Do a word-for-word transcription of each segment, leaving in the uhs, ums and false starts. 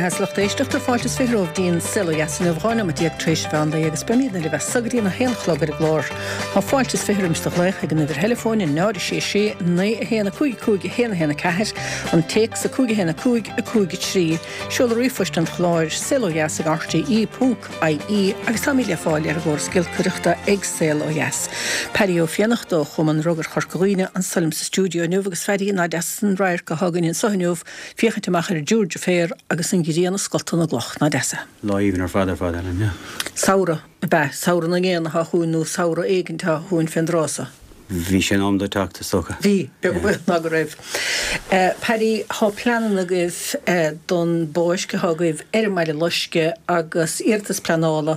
Beatha lucht éisteachta fáilte is fiche romhaibh go dtí an Saol Ó Dheas inniu dhá nóiméad déag tar éis mheán lae agus beimid libh as seo go dtí a haon a chlog ar an gclár. Tá fáilte is fiche roimis do ghlaoch ag an uimhir theileafóin náid a sé sé naoi a haon a cúig cúig a haon a haon a ceathair, an téacs a cúig a haon a cúig a cúig a trí, seoladh ríomhphoist an chláir saol ó dheas ag rte ponc ie agus táimid le fáil ar an gcóras giolcaireachta ag Saol Ó Dheas. Paddy Ó Fiannachta ó Chumann Rugair Chorca Dhuibhne anseo liom sa stiúideo inniu agus Phaddy ná deas an radharc atá againn anseo inniu féachaint amach ar an dTiúr Féar agus an ghrian ag scoltadh na gcloch ná deas é. Lá aoibhinn ar fad ar fad Ellen, yeah. Samhradh ab ea, samhradh na ngéanna atá chugainn nó samhradh éigin atá chugainn fén dtráth seo. Bhí sé in am dó teacht is dócha. Bhí, beag ná go raibh. Paddy, tá pleananna agaibh don bpáirc atá agaibh ar an mBaile Loiscthe agus iarratas pleanála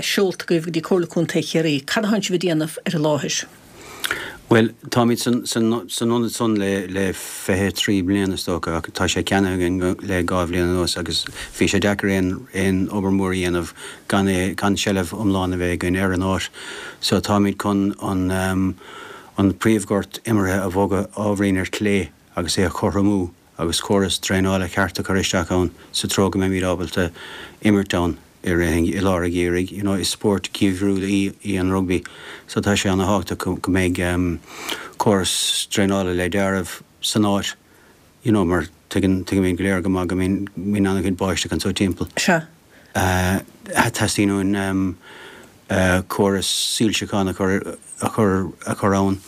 seolta agaibh go dtí Comhairle Contae Chiarraí. Cad atá sibh ag déanamh ar an láthair? Bhuel, táimid san san ionad san le le fiche trí bliana is dócha ach tá sé ceannaithe againn le dhá bhliain anuas agus bhí sé deacair aon aon obair mhór a dhéanamh gan é gan seilbh iomlán a bheith againn ar an áit. So táimid chun an um, an príomhghort imeartha a bhogadh ábhairín ar clé agus é a chothromú agus córas draenála ceart a chur isteach ann sa treo go mbeimid ábalta imirt ann i rith i lár an gheimhridh. You know, is spórt geimhriúil í, í an rugby, so tá sé an-tábhachtach go, go mbeidh um, córas draenála le dearadh san áit, you know, mar tuigeann tuigimid go léir go maith go mbíonn mbíonn an-chuid báisteach anseo timpeall. Sea. Uh, teastaíonn uainn um, uh, córas soilseacháin a chur a chur a chur ann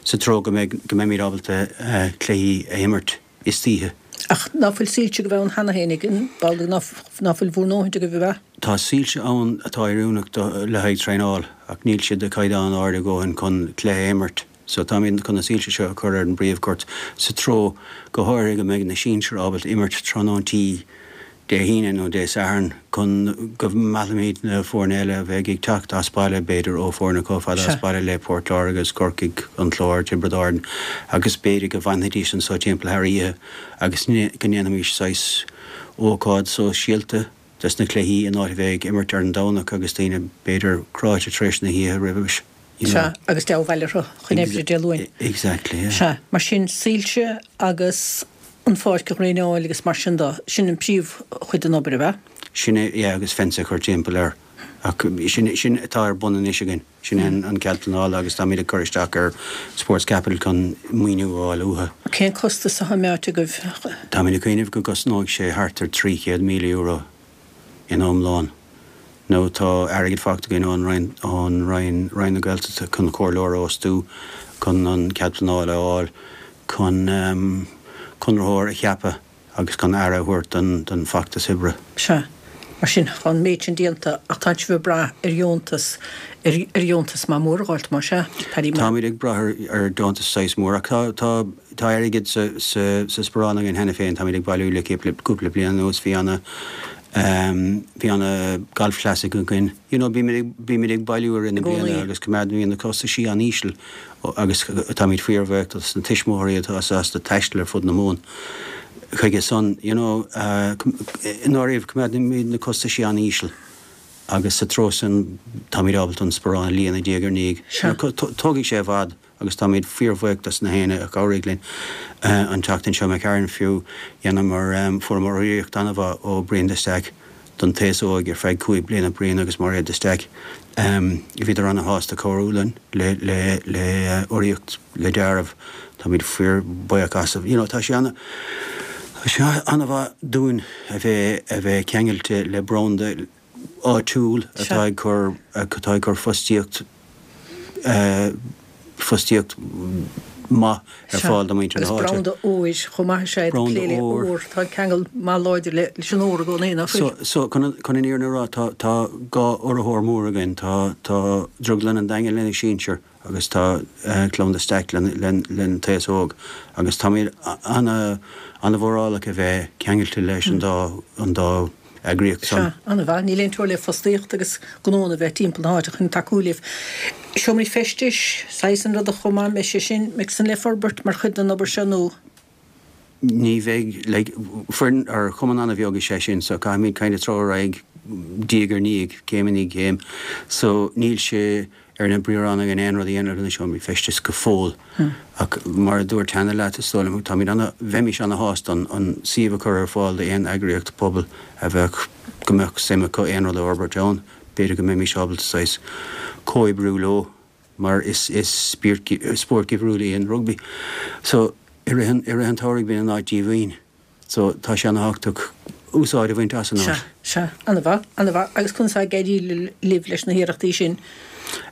sa treo go mbeidh go mbeimid ábalta uh, cluichí a imirt istoíche. Ach ná fuil soilse go bheith an cheana féin ag ball ná ná fuil bhur ndóthain go bheith? Tá soilse ann atá oiriúnach le haghaidh traenáil ach níl siad de chaighdeán ard a dhóthain chun cluiche a imirt. So táimid chun na soilse seo a chur ar an bpríomhghort sa treo go háirithe go mbeidh na sinsir ábalta imirt tráthnóntaí Dé hAoine nó Dé Sathairn chun go meallfaimid na foirne eile a bheidh ag teacht as baile b'fhéidir ó foirne chomh fada as baile le Port Láirge agus Corcaigh an Clár Tiobraid Árann agus b'fhéidir go bhfanfaidís anseo timpeall thar oíche agus go ndéanfaimis saghas ócáid sóisialta des na cluichí in áit a bheith ag imirt ar an Domhnach agus daoine b'fhéidir cráite tar éis na hoíche roimhe. Sea, agus dea-bhaile chun oibre Dé Luain. Exactly, yeah. Sea, mar sin soilse agus an pháirc a dhraenáil agus mar sin de, sin an príomhchuid den obair ab ea? Sin é, yeah, agus fence a chur timpeall air. Ach sin, sin atá ar bun anois againn. Sin an, an cead pleanála agus táimid ag cur isteach ar Sports Capital chun maoiniú a fháil uathu. Cén costas atá meáite agaibh? Táimid ag cuimhneamh go gcosnóidh sé thart ar trí chéad míle euro in iomlán. Nó tá airgead faighte againn ón Roinn, ón Roinn, Roinn na Gaeltachta chun comhairleoir a fhostú, chun an cead pleanála a fháil, chun um, conraitheoir a cheapadh agus chun aire a thabhairt don, don fheachtas oibre. Sea, mar sin tá an méid sin déanta ach tá sibh ag brath ar dheontas ar, ar dheontas maith mór a fháilt mar sea, Paddy. Táimid ag brath ar, ar deontas saghas mór ach tá, tá, tá airgead sa, sa, sa sparán againn cheana féin, táimid ag bailiú le cúpla, cúpla bliain anuas bhí ana um, bhí ana golf classic againn. You know, bímid ag, bímid ag bailiú ar na I gcónaí. bliana agus coimeádaimid na costaisí an-íseal agus táimid fíorbhuíoch dos na tuismitheoirí atá sásta taisteal ar fud na Mumhan. Chuige san, you know, uh, i ndáiríre coimeádaimid na costaisí an-íseal. agus sa treo sin táimid ábalta an sparán a líonadh diaidh ar ndiaidh. Sea. Tógfaidh sé i bhfad agus táimid fíorbhuíoch dos na héinne a chabhraigh linn uh, an tseachtain seo McCarran fiú dhéanamar um, fuaireamar urraíocht an-mhaith ó Brian de Staic don taos óg ar feadh cúig bliana Brian agus Mairéad de Staic. Um, bhíodar an-shásta cabhrú linn le le le uh, urraíocht le deáramh táimid fíorbhuíoch as. You know, tá sé ana Tá sé an-mhaith dúinn a bheith a bheith ceangailte le branda áitiúil atá ag cur atá ag cur fostaíocht uh, fostaíocht maith ar fáil do muintir na Agus háite. branda óir chomh maith sé Branda plé le óir. ór tá ceangal maith láidir le leis an ór i gcónaí nach So, bhfuil? so chun chun an fhírinne a rá tá tá dhá urraitheoir mór againn tá tá Drioglann an Daingin lena sinsir agus tá uh, Clann de Staic len len len taos óg agus táimid ana ana-mhórálach a bheith ceangailte leis an dá an dá eagraíocht Sea, san. an-mhaith, níl aon teora le fostaíocht agus gnónna bheith timpeall na háite chun tacú libh. Seomraí feistis, saghas an rud a chomh maith mbeidh sé sin mbeidh san le forbairt mar chuid den obair seo nó Ní bheidh like, foireann ar chumann an-bheag is é sin, so caithfimid kind of treoir diaidh ar ndiaidh céim i ndiaidh céim. So níl sé ar na briathra againn aon rud a dhéanamh le na seomraí feistis go fóill. Ach mar a dúirt cheana leat, is dóigh liom, táimid ana, bheimis ana-shásta an, an suíomh a chur ar fáil d'aon eagraíocht pobail a bheadh, go mbeadh suim acu aon rud a fhorbairt ann. B'fhéidir go mbeimis ábalta saghas comhoibriú leo mar is, is spírt, spórt geimhriúil é an rugbaí. So, i rith an, i rith an tsamhraidh bíonn an áit díomhaoin. So, tá sé ana-thábhachtach úsáid a bhaint as an áit. Sea, sea. Ana-mhaith, ana-mhaith. Agus conas atá ag éirí libh leis na hiarrachtaí sin?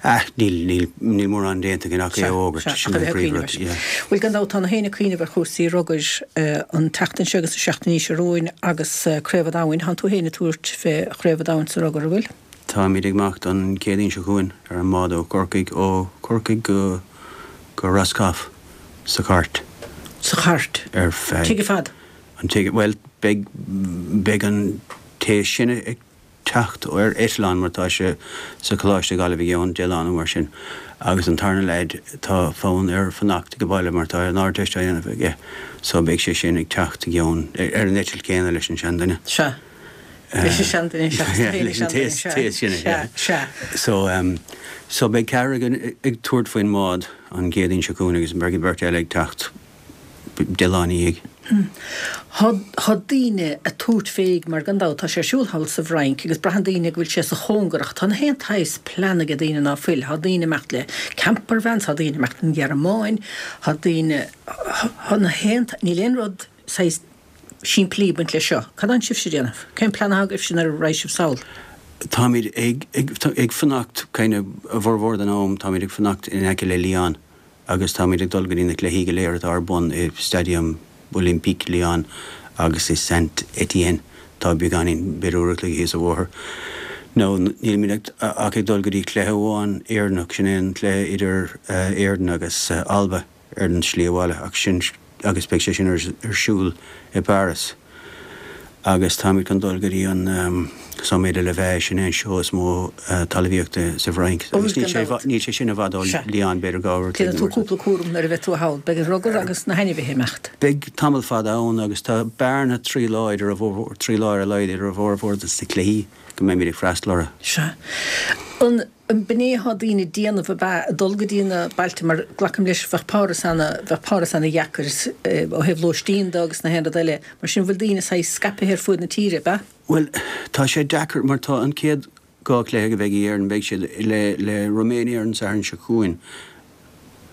Ah, níl, níl, níl mórán déanta againn ach é a fhógairt. Sea, Sin ach a an bheith ag príomhrud, cuimhneamh air. yeah. Bhuel, gan dabht, tá na héinne ag cuimhneamh ar chúrsaí rugair an tseachtain seo agus na seachtainí seo romhainn agus Craobh an Domhain. Tánn tú féin ag tabhairt fé Chraobh an Domhain sa rugar, an bhfuil? Táimid ag imeacht an Chéadaoin seo chugainn ar an mbád ó Chorcaigh, ó Chorcaigh go, go Roscoff sa chairt. Sa chairt? Ar feadh. Tigh fad? An tigh, bhuel, beidh, beidh an té is sine ag teacht ar eitleán mar tá sé sa choláiste i Gaillimh i gceann deich lá nó mar sin agus an tarna leaid tá fonn air fanacht ag baile mar tá an Ardteist á dhéanamh aige so beidh sé sin ag teacht i gceann, ar an eitilt chéanna leis an seanduine. Sea. Leis an seanduine seachas tú féin, Leis an té, seanduine, té is sine, sea, yeah. sea. So, um, so beidh ceathrar againn ag tabhairt faoin mbád an Chéadaoin seo chugainn agus beidh beirt eile ag teacht deich lá ina dhiaidh. Tá daoine ag tabhairt fé mar gan dabht tá sé ar siúl thall sa bhFrainc agus braitheann daoine go bhfuil sé sa chóngar ach tá na haon tsaghas plean ag daoine ná fuil. Tá daoine ag imeacht le campervans, tá daoine ag imeacht ón Ghearmáin, tá daoine, tá na haon, níl aon rud saghas simplí ag baint leis seo. Cad atánn sibhse a dhéanamh? Cén plean atá agaibhse nuair a raghaidh sibh sall? Táimid ag, ag, ag fanacht kind of a bhformhór den am, táimid ag fanacht in aice le Lyon agus táimid ag dul go dtí na cluichí go léir atá ar bun i Stadium Olympique Lyon agus i Saint-Étienne. Tá beagáinín, b'fhéidir uair a chloig thíos an bhóthar. Nó nílimid ag, ach ag dul go dtí cluiche amháin Éireannach, sin é an cluiche idir Éirinn agus Alba ar an slí abhaile ach sin, agus beidh sé sin ar siúl i bPáras. Agus táimid chun dul go dtí an Sommet de l'Élevage, sin é an seó is mó talmhaíochta sa bhFrainc. Agus níl sé, níl sé sin i bhfad ó Lyon, b'fhéidir dhá uair a chloig Déanfaidh tú cúpla cúram nuair a bheidh tú thall. Beidh an rugar agus na hainmhithe ag imeacht. Beidh tamall fada ann agus tá bearna trí lá idir a bhformhór, trí lá ar a laghad idir a bhformhór de na cluichí go mbeimid ag freastal orthu. Sea. An b'in é atá daoine ag déanamh ab ea, ag dul go dtí na bailte mar glacaim leis bheadh Páras ana, bheadh Páras ana dheacair ó thaobh lóistín de agus na haon rud eile. Mar sin bhfuil daoine saghas scaipthe ar fuaid na tíre, ab ea? Bhuel, tá sé deacair mar tá an chéad dhá chluiche a bheidh ag Éirinn, beidh siad le le Romania ar an Satharn seo chugainn,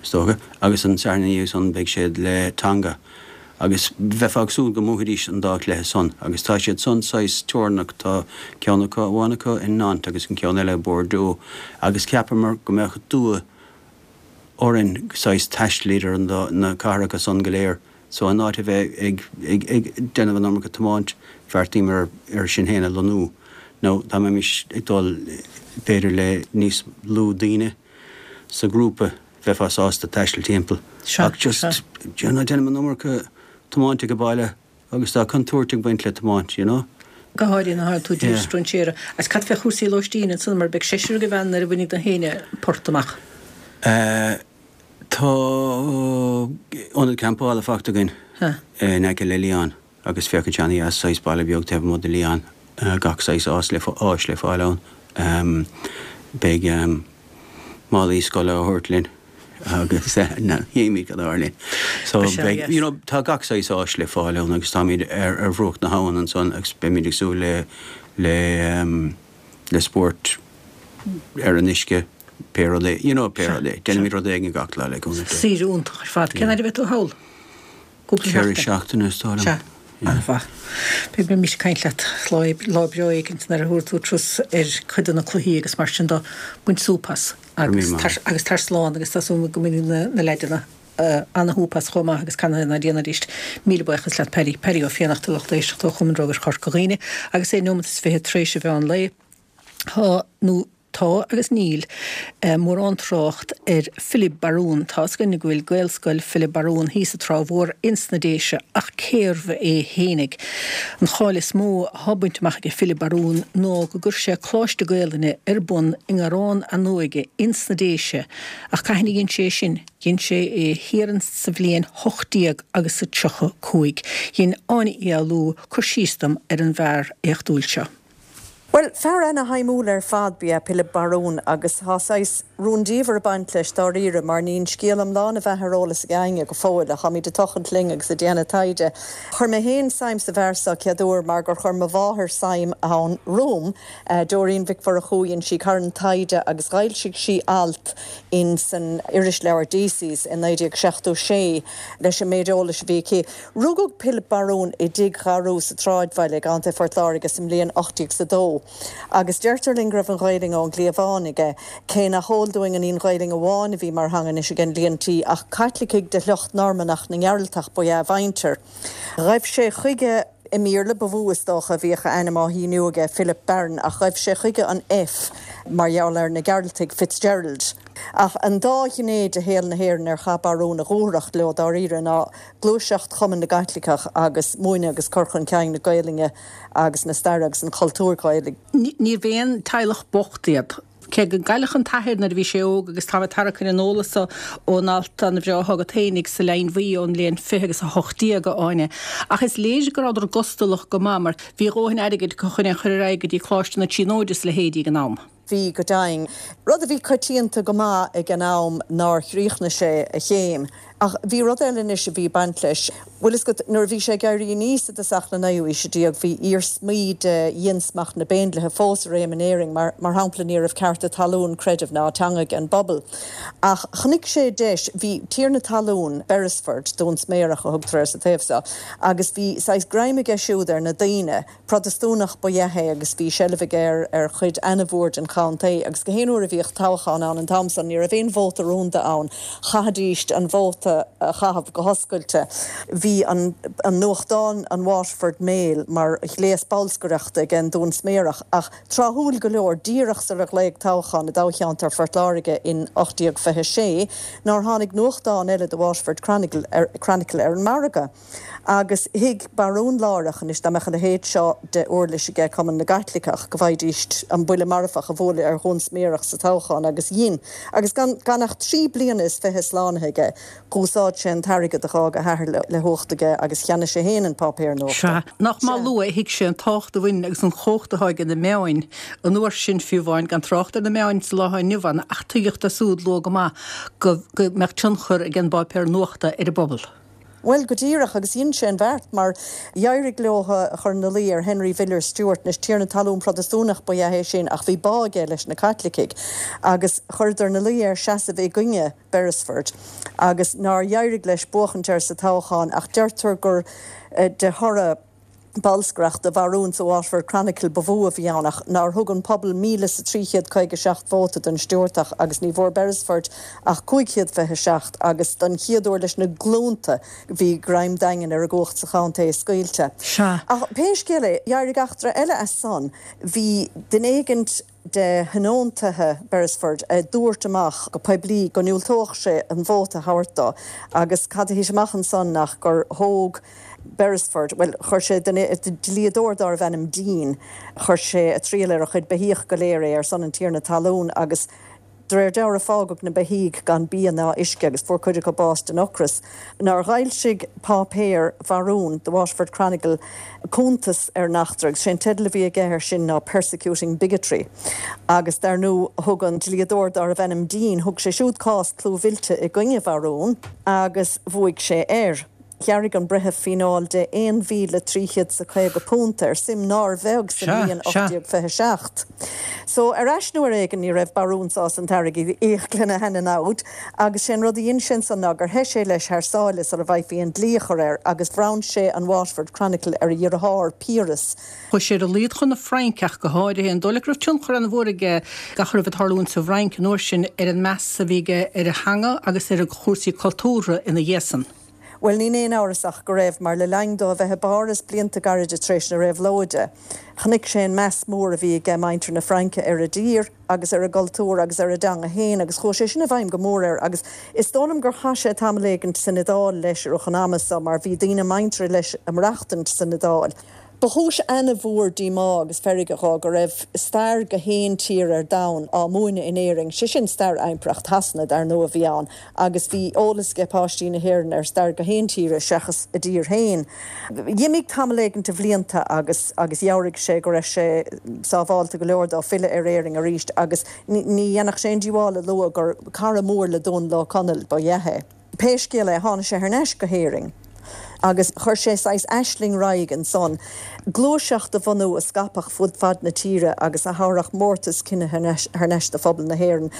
is dócha, agus an Satharn ina dhiaidh san beidh siad le Tonga. Agus bheifeá ag súil go mbuafaidís an dá chluiche san agus tá siad san saghas teorannach, tá ceann acu, amháin acu in Nantes agus an ceann eile i Bordeaux agus cheapamar go mbeadh dua orainn saghas taisteal idir an dá, na cathracha san go léir. So in áit a bheith ag, ag, ag déanamh an iomarca tiomáint, bheartaíomar ar sinn féin a lonnú nó dá mbeimis ag dul b'fhéidir le níos lú daoine sa ghrúpa, bheifeá sásta taisteal timpeall. Sea, Ach just, sea. you know, déanaim an iomarca tiomáint ag baile agus tá contúirt ag baint le tiomáint, you know. Go háirithe nuair atá tú i dtír Yeah. strainséara. Agus cad fé chúrsaí lóistín ansan mar beidh seisear agaibh ann nuair a bhainfidh na héinne port amach? Eh, tá ionad campála faighte againn Huh. in aice le Lyon agus féachann sé ana-dheas, saghas baile beag taobh amuigh de Lyon, gach saghas áis le, áis le fáil ann. Em, beidh, em, málaí scoile á thabhairt linn agus na, tchímid cad a tharlaíonn. So Ba sea, beidh, yes. you know, tá gach saghas áis le fáil ann agus táimid ar, ar bhruach na habhann ansan agus beimid ag súil le, le, em, le spórt ar an uisce, pé rud é, you know, pé Sea, rud é. sea. Déanaimid rud éigin gach lá le cúnamh Dé. Saoire iontach ar fad. Cén fhad a bheidh tú thall? Cúpla Ceithre seachtain. seachtaine is dóigh liom. Sea, Yeah. an-mhaith. Beidh beidh mise ag caint leat lá, lá breá éigin nuair a thabharfaidh tú turas ar chuid de na cluichí agus mar sin de, baint súp as agus Go raibh míle tar, agus tar slán agus tá súil go mbainfidh na, na leaideanna uh, ana-shúp as chomh maith agus canadh ná déan arís. Míle buíochas leat Paddy, Paddy Ó Fiannachta lucht éisteachta ó Chumann Rugair Chorca Dhuibhne agus é nóiméad is fiche tar éis a mheán lae. Tá nó tá agus níl eh, mórán trácht ar Philip Barún. Tá a fhios againn go bhfuil Gaelscoil Philip Barún thíos sa Trá Mhór ins na Déise ach cérbh é fhéinig. An cháil is mó atá bainte amach ag Philip Barún ná go gcuir sé Coláiste Gaelainne ar bun i nGarrán an Óige ins na Déise ach cathain a dhein sé sin, dhein sé é thiar sa bhliain hocht déag agus a tríocha cúig. Dhein Áine Uí Fhoghlú cur síos dom ar an bhfear éachtúil seo. Bhuel, fear ana-shuimiúil ar fad ba ea Pilib Barún agus tá saghas rúndiamhair ag baint leis dáiríre mar níl an scéal iomlán a bheith ar eolas ag éinne go fóill ach táimid ag tochailt linn agus ag déanamh taighde. Chuir mé féin suim sa bhfear seo chéad uair mar gur chuir mo mháthair suim ann romham, Doreen Mhic Mhurchú, dhein sí carn taighde agus dh'fhoilsigh sí alt in san irisleabhar Deacy's i naoi déag seachtó sé leis an méid eolais a bhí aici. Rugadh Pilib Barún i dTigh Gharú sa tsráidbhaile i gContae Phort Láirge sa mbliain ocht déag is a dó. Agus deirtear linn go raibh an Ghaelainn ón gcliabhán aige, cé nach eol dúinn an í an Ghaelainn amháin a bhí mar theanga anois ag an líon tí, ach Caitlicigh de shliocht Normannach na nGearaltach ba ea a mhuintir. Ghaibh sé chuige i mBéarla ba mhó is dócha a bhíodh a ainm á shíniú aige, Philip Barron, ach ghaibh sé chuige an F mar gheall ar na Gearaltaigh, Fitzgerald. Ach an dá ghné de shaol na hÉireann ar chaith Barún a dhúthracht leo dáiríre ná gluaiseacht Chumann na gCaitliceach agus múineadh agus cur chun cinn na Gaelainne agus na staire agus an chultúir Ghaelaigh. Níorbh aon teaghlach bocht iad, cé go gcailleadh an t-athair nuair a bhí sé óg agus táim ag tarrac ar an eolas so ón alt an-bhreá atá agat fhéinig sa Leidhinn Bhuí ón mbliain fiche agus a hocht déag, a Áine. Ach is léir go rabhadar gustalach go maith mar bhí a dhóthain airgid acu chun é a chur ar aghaidh go dtí Coláiste na Tríonóide is a leithéidí ag an am. Bhí, go deimhin. Rud a bhí coitianta go maith ag an am nár chríochnaigh sé a chéim. Ach bhí rud eile anois a bhí ag baint leis. Bhfuil fhios agat, nuair a bhí sé ag éirí aníos i dtosach na naoú haoise déag, bhí iarsmaí de dhiansmacht na bPéindlithe fós i réim in Éirinn, mar, mar shampla, ní raibh cearta talún, creidimh ná teanga ag an bpobal. Ach chonaic sé deis, bhí tiarna talún, Beresford, Dún Sméarach a thugtar air sa taobh seo, agus bhí saghas greim aige siúd ar na daoine, Protastúnach ba ea é agus bhí seilbh aige ar ar chuid ana-mhór den chontae agus gach aon uair a bhíodh toghchán ann an t-am san ní raibh aon vóta rúnda ann, chaithfidíst an vóta a chaitheamh go hoscailte. Bhí an an nuachtán an Waterford Mail mar ghléas bolscaireachta ag an Dún Sméarach ach tráthúil go leor, díreach sular glaodh toghchán i dtoghcheantar Phort Láirge in ocht déag fiche sé, nár tháinig nuachtán eile The Waterford Chronicle ar Chronicle ar an margadh. Agus thuig Barún láithreach anois dá mbeadh a leithéid seo de uirlis aige Cumann na gCaitliceach go bhfaighidíst an buille marfach a bhualadh ar Dhún Sméarach sa toghchán agus dhein. Agus gan gan ach trí bliana is fiche slánaithe aige, dh'úsáid sé an t-airgead a dh'fhág a athair le le huacht aige agus cheannaigh sé féin an páipéar nuachta. Sea. Nach maith luath a thuig sé an tábhacht a bhain agus an chumhacht atá ag na meáin an uair sin fiú amháin, gan trácht ar na meáin sa lá atá inniu ann, ach tuigeadh dó súd luath go maith go go mbeadh tionchar ag an bpáipéar nuachta ar an bpobal. Bhuel, go díreach, agus dhein sé an bheart, mar d'éirigh leo a chur ina luí ar Henry Villiers Stuart, anois tiarna talún Protastúnach ba ea é sin ach bhí bá aige leis na Caitlicigh, agus chuireadar ina luí air seasamh i gcoinne Beresford, agus nár d'éirigh leis buachaint air sa toghchán, ach deirtear gur de thoradh. bolscaireachta Bharún sa Waterford Chronicle ba mhó a bhí ann ach nár thug an pobal míle is a trí chéad caoga seacht vóta don Stiúrtach agus ní bhfuair Beresford ach cúig chéad fiche seacht agus don chéad uair leis na glúnta bhí greim daingean ar an gcumhacht sa chontae scaoilte. Sea. Ach pé scéal é, d'éirigh eachtra eile as san. Bhí duine éigint de thionóntaithe Beresford a dúirt amach go poiblí go ndiúltódh sé an vóta a thabhairt dó agus cad a thit amach ansan ach gur thóg Beresford, bhuel, chuir sé duine, dlíodóir dárbh ainm Deane, chuir sé ag triall ar a chuid beithíoch go léir é ar son an tiarna talún agus de réir dealraimh fágadh na beithígh gan bia ná uisce agus fuair cuid acu bás den ocras. Nár dh'fhoilsigh páipéar Bharún, The Waterford Chronicle, cuntas ar an eachtra agus sé an teideal a bhí aige air sin ná Persecuting Bigotry agus dar ndóigh thug an dlíodóir dárbh ainm Deane, thug sé siúd cás clúmhillte i gcoinne Bharún agus bhuaigh sé air. Ghearr an breitheamh fíneáil de aon mhíle trí chéad 's a caoga punt air, suim nár bheag sa Sea, mbliain sea. ocht déag fiche seacht. So, ar ais nó ar éigean, ní raibh Barún sásta an t-airgead a íoc lena sheana-namhaid, agus sé an rud a dhein sé ansan ná gur theith sé leis thar sáile sula bhfaighfí an dlí a chur air, agus bhronn sé an Waterford Chronicle ar a dheartháir, Piaras. Chuaigh sé ar a laghad chun na Fraince ach go háirithe. An dóigh leat go raibh tionchar an-mhór aige gach a raibh ag tarlúint sa bhFrainc an uair sin ar an meas a bhí aige ar a theanga agus ar chúrsaí cultúrtha ina dhiaidh san? Bhuel, níl aon amhras ach go raibh, mar le linn dó a bheith i bPáras blianta gairide tar éis na Réabhlóide, chonaic sé an meas mór a bhí aige muintir na Fraince ar a dtír agus ar a gcultúr agus ar a dteanga féin agus chuaigh sé sin i bhfeidhm go mór air agus is dóigh liom gur chaith sé tamall éigint san Iodáil leis i rith an ama so mar bhí daoine muinteartha leis ag maireachtaint san Iodáil. Ba chúis ana-mhór díomá agus feirge dhó go raibh stair gach aon tír ar domhan á múineadh in Éirinn, sé sin stair Impireacht Shasana dar ndóigh a bhí ann, agus bhí eolas ag páistí na hÉireann ar stair gach aon tíre seachas a dtír féin. D'imigh tamall éigin de bhlianta agus agus dheabhraigh sé go raibh sé sábháilte go leor dó filleadh ar Éirinn arís agus ní dhéanfadh sé aon díobháil a lua gur cara mór le Dónal Ó Conaill ba ea é. Pé scéal é, tháinig sé thar n-ais go hÉirinn. Agus chuir sé saghas aisling ar aghaidh ansan, gluaiseacht a bhunú a scaipfeadh fud fad na tíre agus a thabharfadh mórtas cine thar n-ais do phobal na hÉireann.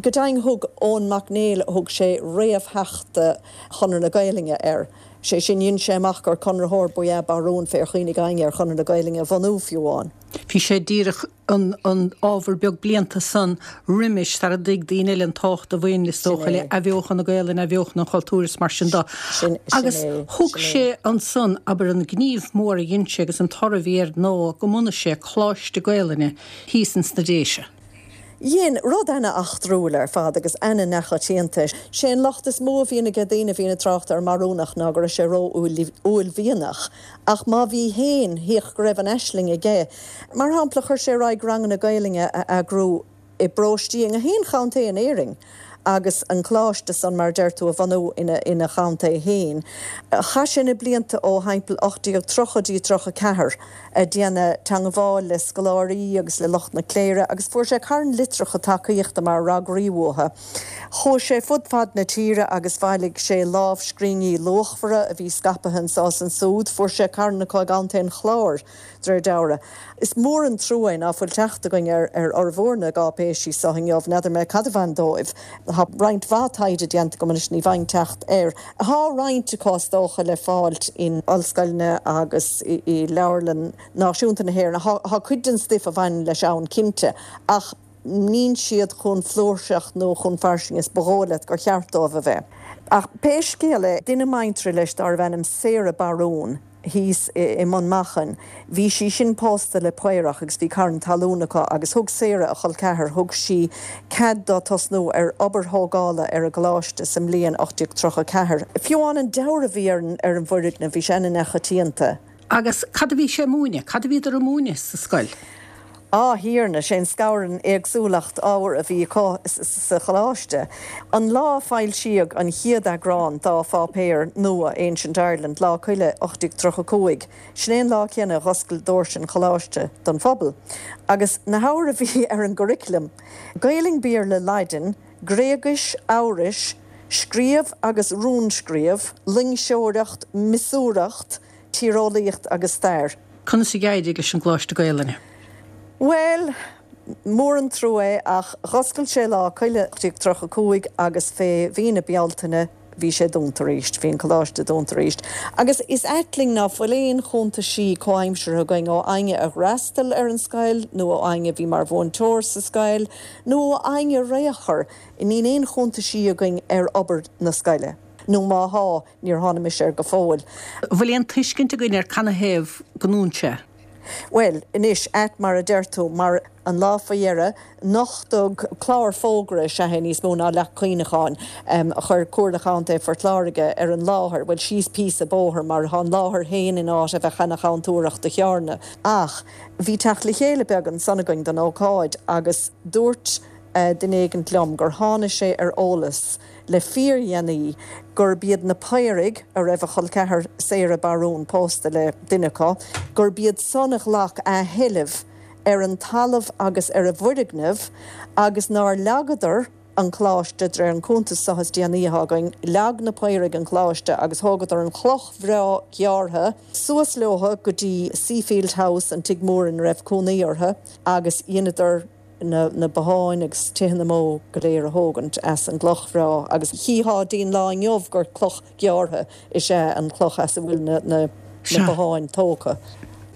Go deimhin thug Eoin Mac Néill, thug sé réamhtheachta Chonradh na Gaelainne air. Sé sin, dhein sé amach gur conraitheoir ba ea Barún fé ar chuimhnigh éinne ar Chonradh na Gaelainne a bhunú fiú amháin. Bhí sé díreach an an ábhar beag blianta san roimis sara dtuig daoine eile an tábhacht a bhain, is dócha, le athbheochan na Gaelainne, athbheochan an chultúir is mar sin de. Sin Agus é, thug sin é. sé ansan, abair, an gníomh mór a dhein sé agus an toradh a bhí air ná go mbunaigh sé Coláiste Gaelainne thíos ins na Déise. Dhein, rud ana-eachtrúil ar fad agus ana-neachoitianta. Sé an locht is mó a bhíonn aige daoine a bhíonn ag trácht ar an mBarúnach ná go raibh sé ró-uaillmhianach. Ach má bhí fhéin, thaobh go raibh an aisling aige. Mar shampla, chuir sé ar aghaidh ranganna Gaelainne a eagrú i bparóistí i ngach aon chontae in Éirinn agus an coláiste san, mar a deir tú, a bhunú ina ina chontae fhéin. Chaith sé na blianta ó thimpeall ocht déag tríocha dtí tríocha ceathair ag déanamh teangmháil le scoláirí agus le lucht na cléire agus fuair sé carn litreacha tacaíochta mar fhreagraí uathu. Chuaigh sé fud fad na tíre agus bhailigh sé lámhscríbhinní luachmhara a bhí scaipthe anso is ansúd. Fuair sé carn acu i gContae an Chláir, de réir dealraimh. Is mór an trua é ná fuil teacht againn ar ar fhormhór na gcáipéisí so inniu. N'fheadar mé cad a bhain dóibh. Tá roinnt mhaith taighde déanta agam anois, ní bhfaighinn teacht air. Tá roinnt acu is dócha le fáilt in ollscoileanna agus i Leabharlann Náisiúnta na hÉireann. Tá cuid den stuif a bhaineann leis ann cinnte, ach níl siad chomh flúirseach nó chomh fairsing is ba dhóigh leat gur cheart dóibh a bheith. Ach pé scéal é, duine muinteartha leis dárbh ainm Sarah Barún, thíos i mBun Machan. Bhí sí sin pósta le Paorach agus bhí carn talún acu agus thug Sarah, a chol ceathar, thug sí cead dó tosnú ar obair thógála ar an gcoláiste sa mbliain ocht déag tríocha a ceathair. Fiú amháin an dealramh a bhí ar an ar an bhfoirgneamh, bhí sé ana-neachoitianta. Agus cad a bhí sé a múineadh? Cad a bhíodar a múineadh sa scoil? Á, Thiarna, sé an scabhar an éagsúlacht ábhar a bhí acu sa choláiste. An lá a foilsíodh an chéad eagrán dá pháipéar nua, Ancient Ireland, Lá Coille ocht déag tríocha a cúig, sin é an lá céanna a dh'oscail doirse an choláiste don phobal. Agus na hábhair a bhí ar an gcurriculum, Gaelainn, Béarla, Laidin, Gréigis, Eabhrais, Scríobh agus Rúnscríobh, Loingseoireacht, Miosúireacht, Tíreolaíocht agus Stair. Conas a d'éirigh leis an gColáiste Gaelainne? Bhuel, mór an trua é ach dh'oscail sé Lá Coille ocht déag tríocha a cúig agus fé mhí na Bealtaine bhí sé dúnta arís, bhí an coláiste dúnta arís. Agus is ait linn ná fuil aon chuntaisí comhaimseartha againn ó éinne a dh'fhreastail ar an scoil nó ó éinne a bhí mar mhúinteoir sa scoil nó ó éinne ar aon chor. Níl aon chuntaisí againn ar obair na scoile. Nó má thá, níor tháinig mise air go fóill. An bhfuil aon tuiscint againn ar canathaobh gur dhún sé? Bhuel, anois, ait mar a deir tú, mar an lá faoi dheireadh, nochtadh clár fógra is ea é níos mó ná leacht cuimhneacháin, a chuir Comhairle Chontae Phort Láirge ar an láthair, bhuel, síos píosa bóthair, mar tá an láthair féin in áit a bheadh ana-chontúirteach do Chearna. Ach bhí teacht le chéile beag ansan againn don ócáid agus dúirt duine éigint liom gur tháinig sé ar eolas le fíordhéanaí gurb iad na Paoraigh, a raibh a chol ceathar Sarah Barún pósta le duine acu, gurb iad san a ghlac athsheilbh ar an talamh agus ar an bhfoirgneamh agus nár leagadar an coláiste, de réir an cuntas seo is déanaí atá againn, leag na Paoraigh an coláiste agus thógadar an chloch bhreá ghearrtha suas leo go dtí Seafield House, an tigh mór ina raibh cónaí orthu, agus dheineadar. na botháin agus tithe na mbó go léir a thógaint as an gcloch bhreá agus chítheá dtí'n lá inniu gur cloch ghearrtha is ea an chloch as a bhfuil na botháin tógtha.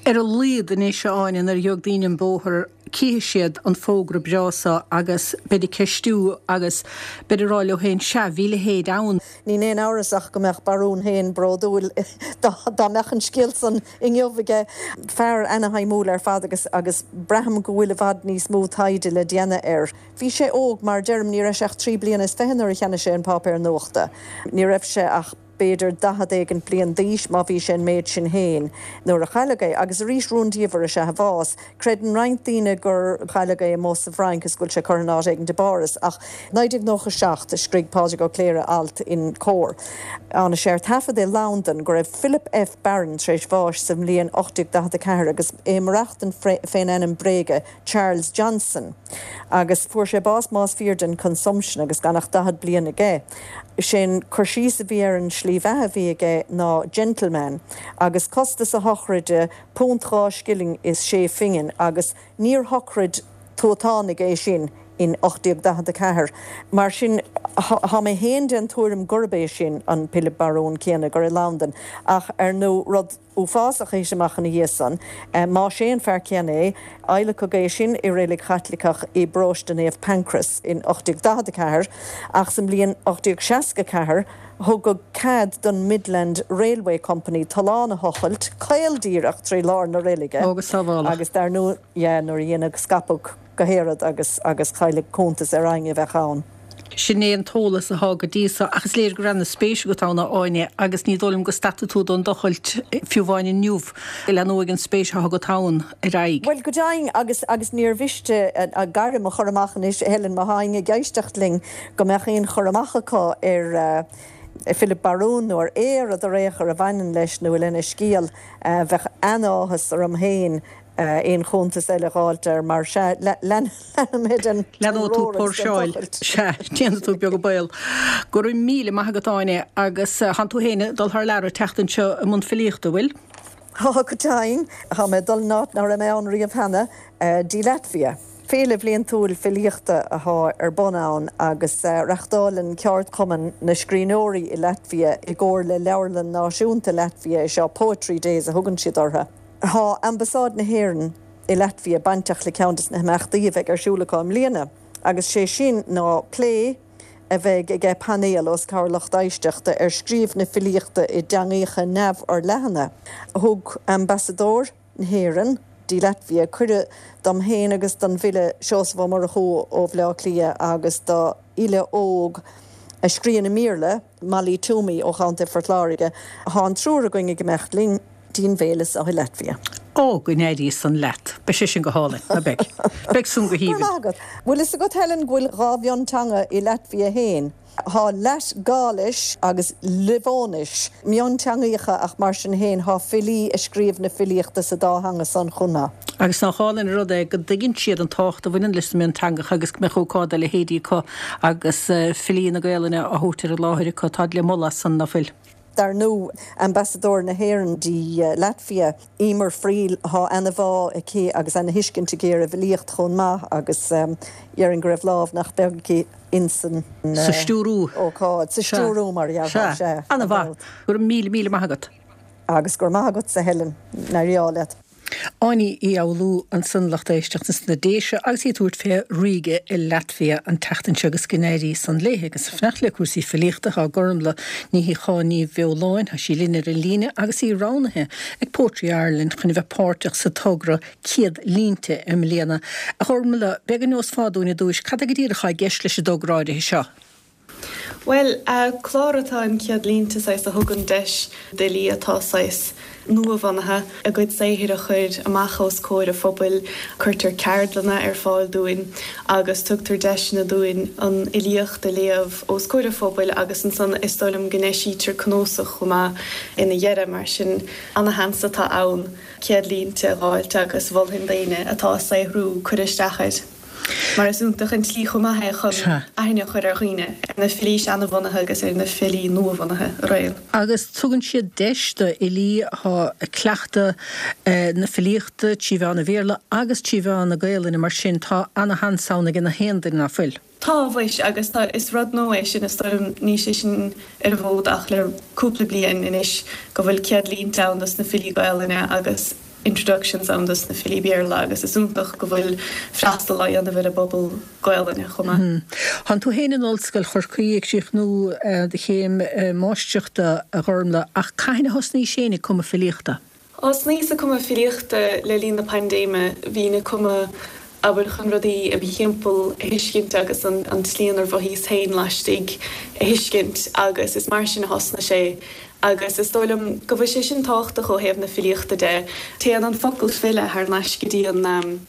Ar a laghad anois, a Áine, nuair a gheobhaidh daoine an bóthar cífidh siad an fógra breá seo agus beid ag ceistiú agus beid ag rá leo féin, sea, bhí a leithéid ann. Níl aon amhras ach go mbeadh Barún féin bródúil dá mbeadh an scéal san inniu aige. Fear ana-shuimiúil ar fad agus agus braithim go bhfuil i bhfad níos mó taighde le déanamh air. Bhí sé óg, mar a deirim, ní raibh sé ach trí bliana is fiche nuair a cheannaigh sé an páipéar nuachta. Ní raibh sé ach b'fhéidir daichead éigin bliain d'aois má bhí sé an méid sin féin nuair a cailleadh é, agus arís rúndiamhair is ea a bhás. Creideann roinnt daoine gur cailleadh é amuigh sa bhFrainc is go bhfuil sé curtha in áit éigin i bPáras, ach naoi déag nócha seacht a scrígh Pádraig Ó Cléire alt in Comhar. Tháinig sé ar taifead i Londain go raibh Philip F. Barron tar éis bháis sa mbliain ocht déag daichead a ceathair agus é ag maireachtaint fén ainm bréige Charles Johnson agus fuair sé bás más fíor den consumption agus gan ach daichead bliain aige. Sé'n cur síos a bhí ar an slí bheatha a bhí aige ná gentleman agus costas a shochraide punt dhá scilling is sé phingin agus níor shochraid tuatánaigh é sin in ocht déag daichead a ceathair. Mar sin thá mé fhéin den tuairim gurb é sin an Pilib Barún céanna gur i Londain ach ar ndú rud uafásach a thit amach ina dhiaidh san, más é an fear céanna é, adhlacadh é sin i reilig Chaitliceach i bparóiste Naomh Pancras in ocht déag daichead a ceathair, ach sa mbliain ocht déag seasca a ceathair thugadh cead don Midland Railway Company tollán a thochailt caol díreach trí lár na reilige Ó, go sábhálach. agus dar ndóigh, yeah, nuair a deineadh scaipeadh go haer agus agus cailleadh cuntas ar éinne a bheadh ann. Sin é an t-eolas athá go dtí so, ach is léir go raibh ana-spéis agat ann, a Áine, agus ní dóigh liom go stadfaidh tú don dtochailt fiú amháin inniu. Leanóidh an spéis athá agat ann ar aghaidh. Bhuel, go deimhin, agus agus níor mhiste an gairm a chur amach anois, a Helen, má thá éinne ag éisteacht linn, go mbeadh aon chur amach acu ar Philip Barún nó ar aon rud ar aon chor a bhaineann leis nó lena scéal, bheadh an-áthas orm féin aon chuntas eile a dh'fháilt air mar sea, leanfaidh mé den Leanóidh tú rór agus den póirseáil. tochailt. Sea, déanfaidh tú beag an baol. Go raibh míle maith agat, Áine, agus thánn tú féin ag dul thar lear an tseachtain seo i mbun filíochta, bhfuil? Tá, go deimhin. Tá mé ag dul in áit nach raibh mé ann riamh cheana, dtí Latvia. Féile bhliantúil filíochta athá ar bun ann agus reachtáileann ceardchumann na scríbhneoirí i Latvia i gcomhar le Leabharlann Náisiúnta Latvia é seo, Poetry Days a thugann siad orthu. Thá Ambasáid na hÉireann i Latvia bainteach le ceann des na himeachtaí a bheidh ar siúl acu i mbliana agus sé sin ná plé a bheidh aige painéal os comhair lucht éisteachta ar scríobh na filíochta i dteangaíocha neamhfhorleathana. Thug Ambasadóir na hÉireann dtí Latvia cuireadh dom féin agus don bhfile Seosamh Ó Murchú ó Bhaile Átha Cliath agus do fhile óg a scríonn i mBéarla, Molly Twomey ó Chontae Phort Láirge. Thá an triúr againn ag imeacht linn dtí'n bhféile so i Latvia. Ó, go n-éirí san leat. Beidh sé sin go hálainn, ná beidh? Beidh san go Go raibh haoibhinn. maith agat. Bhfuil fhios agat, Helen, go bhfuil dhá mhionteanga i Latvia féin? Thá Latgailis agus Livóinis, mionteangaíocha ach mar sin féin thá filí a scríobh na filíochta sa dá theanga san chomh maith. Agus nach álainn an rud é go dtuigeann siad an tábhacht a bhaineann leis na mionteangacha agus go mbeadh ócáid dá leithéidí acu agus filí na Gaelainne á thabhairt ar an láthair acu. Táid le moladh as san, ná fuil? Dar ndú, Ambasadóir na hÉireann dtí Latvia, Emer Friel, thá ana-bhá aici agus ana-thuiscint aici ar an bhfilíocht chomh maith agus déarfainn go raibh lámh nach beag aici insan Sa stiúrú. ócáid, sa Sea. stiúrú mar a dhéarfá, Sea. sea, Ana-mhaith. Go raibh míle, míle maith agat. Agus go raibh maith agatsa, Helen. N-éirí leat. Áine Uí Fhoghlú ansan lucht éisteachta sna Déise agus í ag tabhairt fé Ríge i Laitvia an tseachtain seo agus go n-éirí san léi agus ag fanacht le cúrsaí filíochta tá Gormlaith Ní Shíocháin Ní Bheoláin, tá sí linn ar an líne agus í roghnaithe ag Poetry Ireland chun a bheith páirteach sa togra Céad Línte i mbliana. A Ghormlaith, b'fhéidir go neosfá dúinn ar dtúis, cad é go díreach atá i gceist leis an dtogra áirithe seo? Bhuel, clár atá in Céad Línte saghas a thugann deis d'fhilí atá saghas nuabhunaithe a gcuid saothair a chur amach os comhair an phobail. Cuirtear ceardlanna ar fáil dúinn agus tugtar deiseanna dúinn an fhilíocht a léamh os comhair an phobail agus ansan is dóigh liom go n-eisítear cnuasach chomh maith ina dheireadh. Mar sin, ana-sheans atá ann Céad Línte a dh'fháilt agus mholfainn d'aoinne atá ag saothrú cur isteach air. Mar is iontach an tslí chomh maith é chun aithne a chur ar dhaoine, ar na filí seanabhunaithe agus ar na filí nuabhunaithe araon. Agus tugann siad deis do fhilí atá ag cleachtadh na filíochta trí mheán an Bhéarla agus trí mheán na Gaelainne, mar sin tá ana-sheans ann ag na haon duine, ná fuil? Tá, mhuis, agus tá, is rud nua é sin, is dóigh liom, níl sé sin ar an bhfód ach le cúpla bliain anois, go bhfuil céad línte ann dos na filí Gaelainne agus introductions ann dos na filí Béarla agus is iontach go bhfuil freastal á dhéanamh ar an bpobal Gaelainne chomh maith. Tánn tú féin in Ollscoil Chorcaí ag críochnú do chéim máistreachta, a Ghormlaith, ach cathain a thosnaís féin ag cumadh filíochta? Thosnaíos ag cumadh filíochta le linn na paindéime. Bhínn ag cumadh Abair chun rudaí i mo thimpeall a thuiscint agus an an tslí inar mhothaíos féin laistigh a thuiscint agus is mar sin a thosnaigh sé agus is dóigh liom go bhfuil sé sin tábhachtach ó thaobh na filíochta de. Téann an focal file thar n-ais go dtí an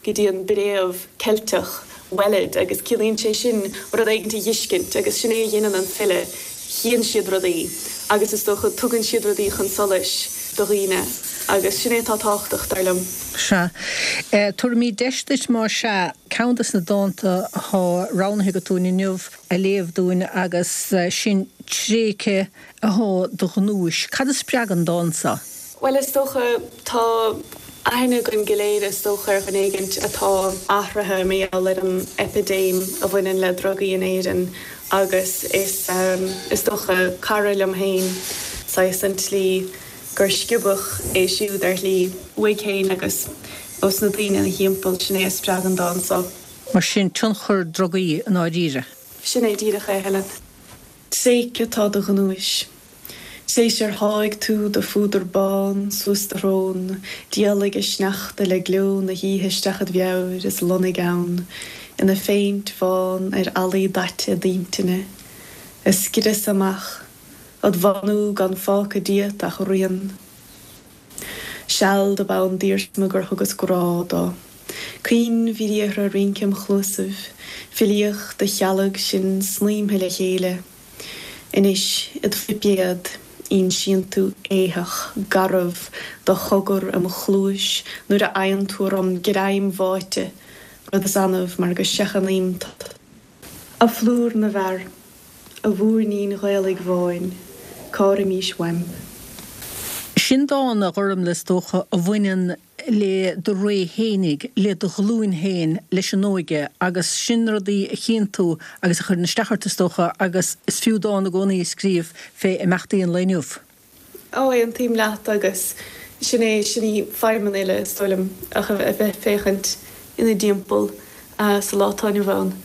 go dtí an bhfréamh Ceilteach weled agus ciallaíonn sé sin rud éigin a fheiscint agus sin é a dhéanann an file, chíonn siad rudaí agus is dócha tugann siad rudaí chun solais do dhaoine agus sin é atá tábhachtach dar liom. Sea. Tabharfaimid deis duit más ea ceann de na dánta atá roghnaithe agat dúinn inniu a léamh dúinn agus sin Tréigthe athá do ghnúis. Cad a spreag an dán seo? Bhuel is dócha tá aithne againn go léir is dócha ar dhuine éigint atá athraithe mar gheall ar an eipidéim a bhaineann le drugaí in Éirinn agus is is dócha cara liom féin saghas an tslí gur sciobadh é siúd ar shlí uaidh féin agus ós na daoine ina thimpeall, sin é a spreag an dán seo. Mar sin tionchar drugaí i ndáiríre. Sin é díreach é, Helen. Tréigthe atá do ghnúis. Tréis ar sháigh tú do phúdar bán suas do shrón, d'éalaigh an sneachta le gleo na hoíche isteach id mheabhair is lonnaigh ann ina phéint bhán ar fhallaí daite d'intinne, a scrios amach, id bhánú gan fágtha díot ach rian. Seal dob ann d'iarsma gur thugas grá dó. Caoinbhriathra ag rince im chluasaibh, filíocht a chealg sinn snaidhmthe le chéile. Anois id phuipéad, insíonn tú éitheach garbh do chogar im chluais nuair a fhaigheann tú orm greim bháite, rud is annamh mar go seachnaím tu. A phlúr na bhfear, a mhúirnín Ghaelaigh bháin, cá raimís uaim? Sin dán, a Ghormfhlaith, is dócha, a bhaineann le do ré fhéinig, le do ghlúin féin, leis an óige, agus sin rudaí a chíonn tú agus a chuireann isteach ort, is dócha, agus is fiú dán i gcónaí a scríobh fé imeachtaí an lae inniu. Ó, aontaím leat agus sin é, sin í feidhm an fhile, is dóigh liom, ach a bheith ag féachaint ina dtimpeall sa lá atá inniu ann.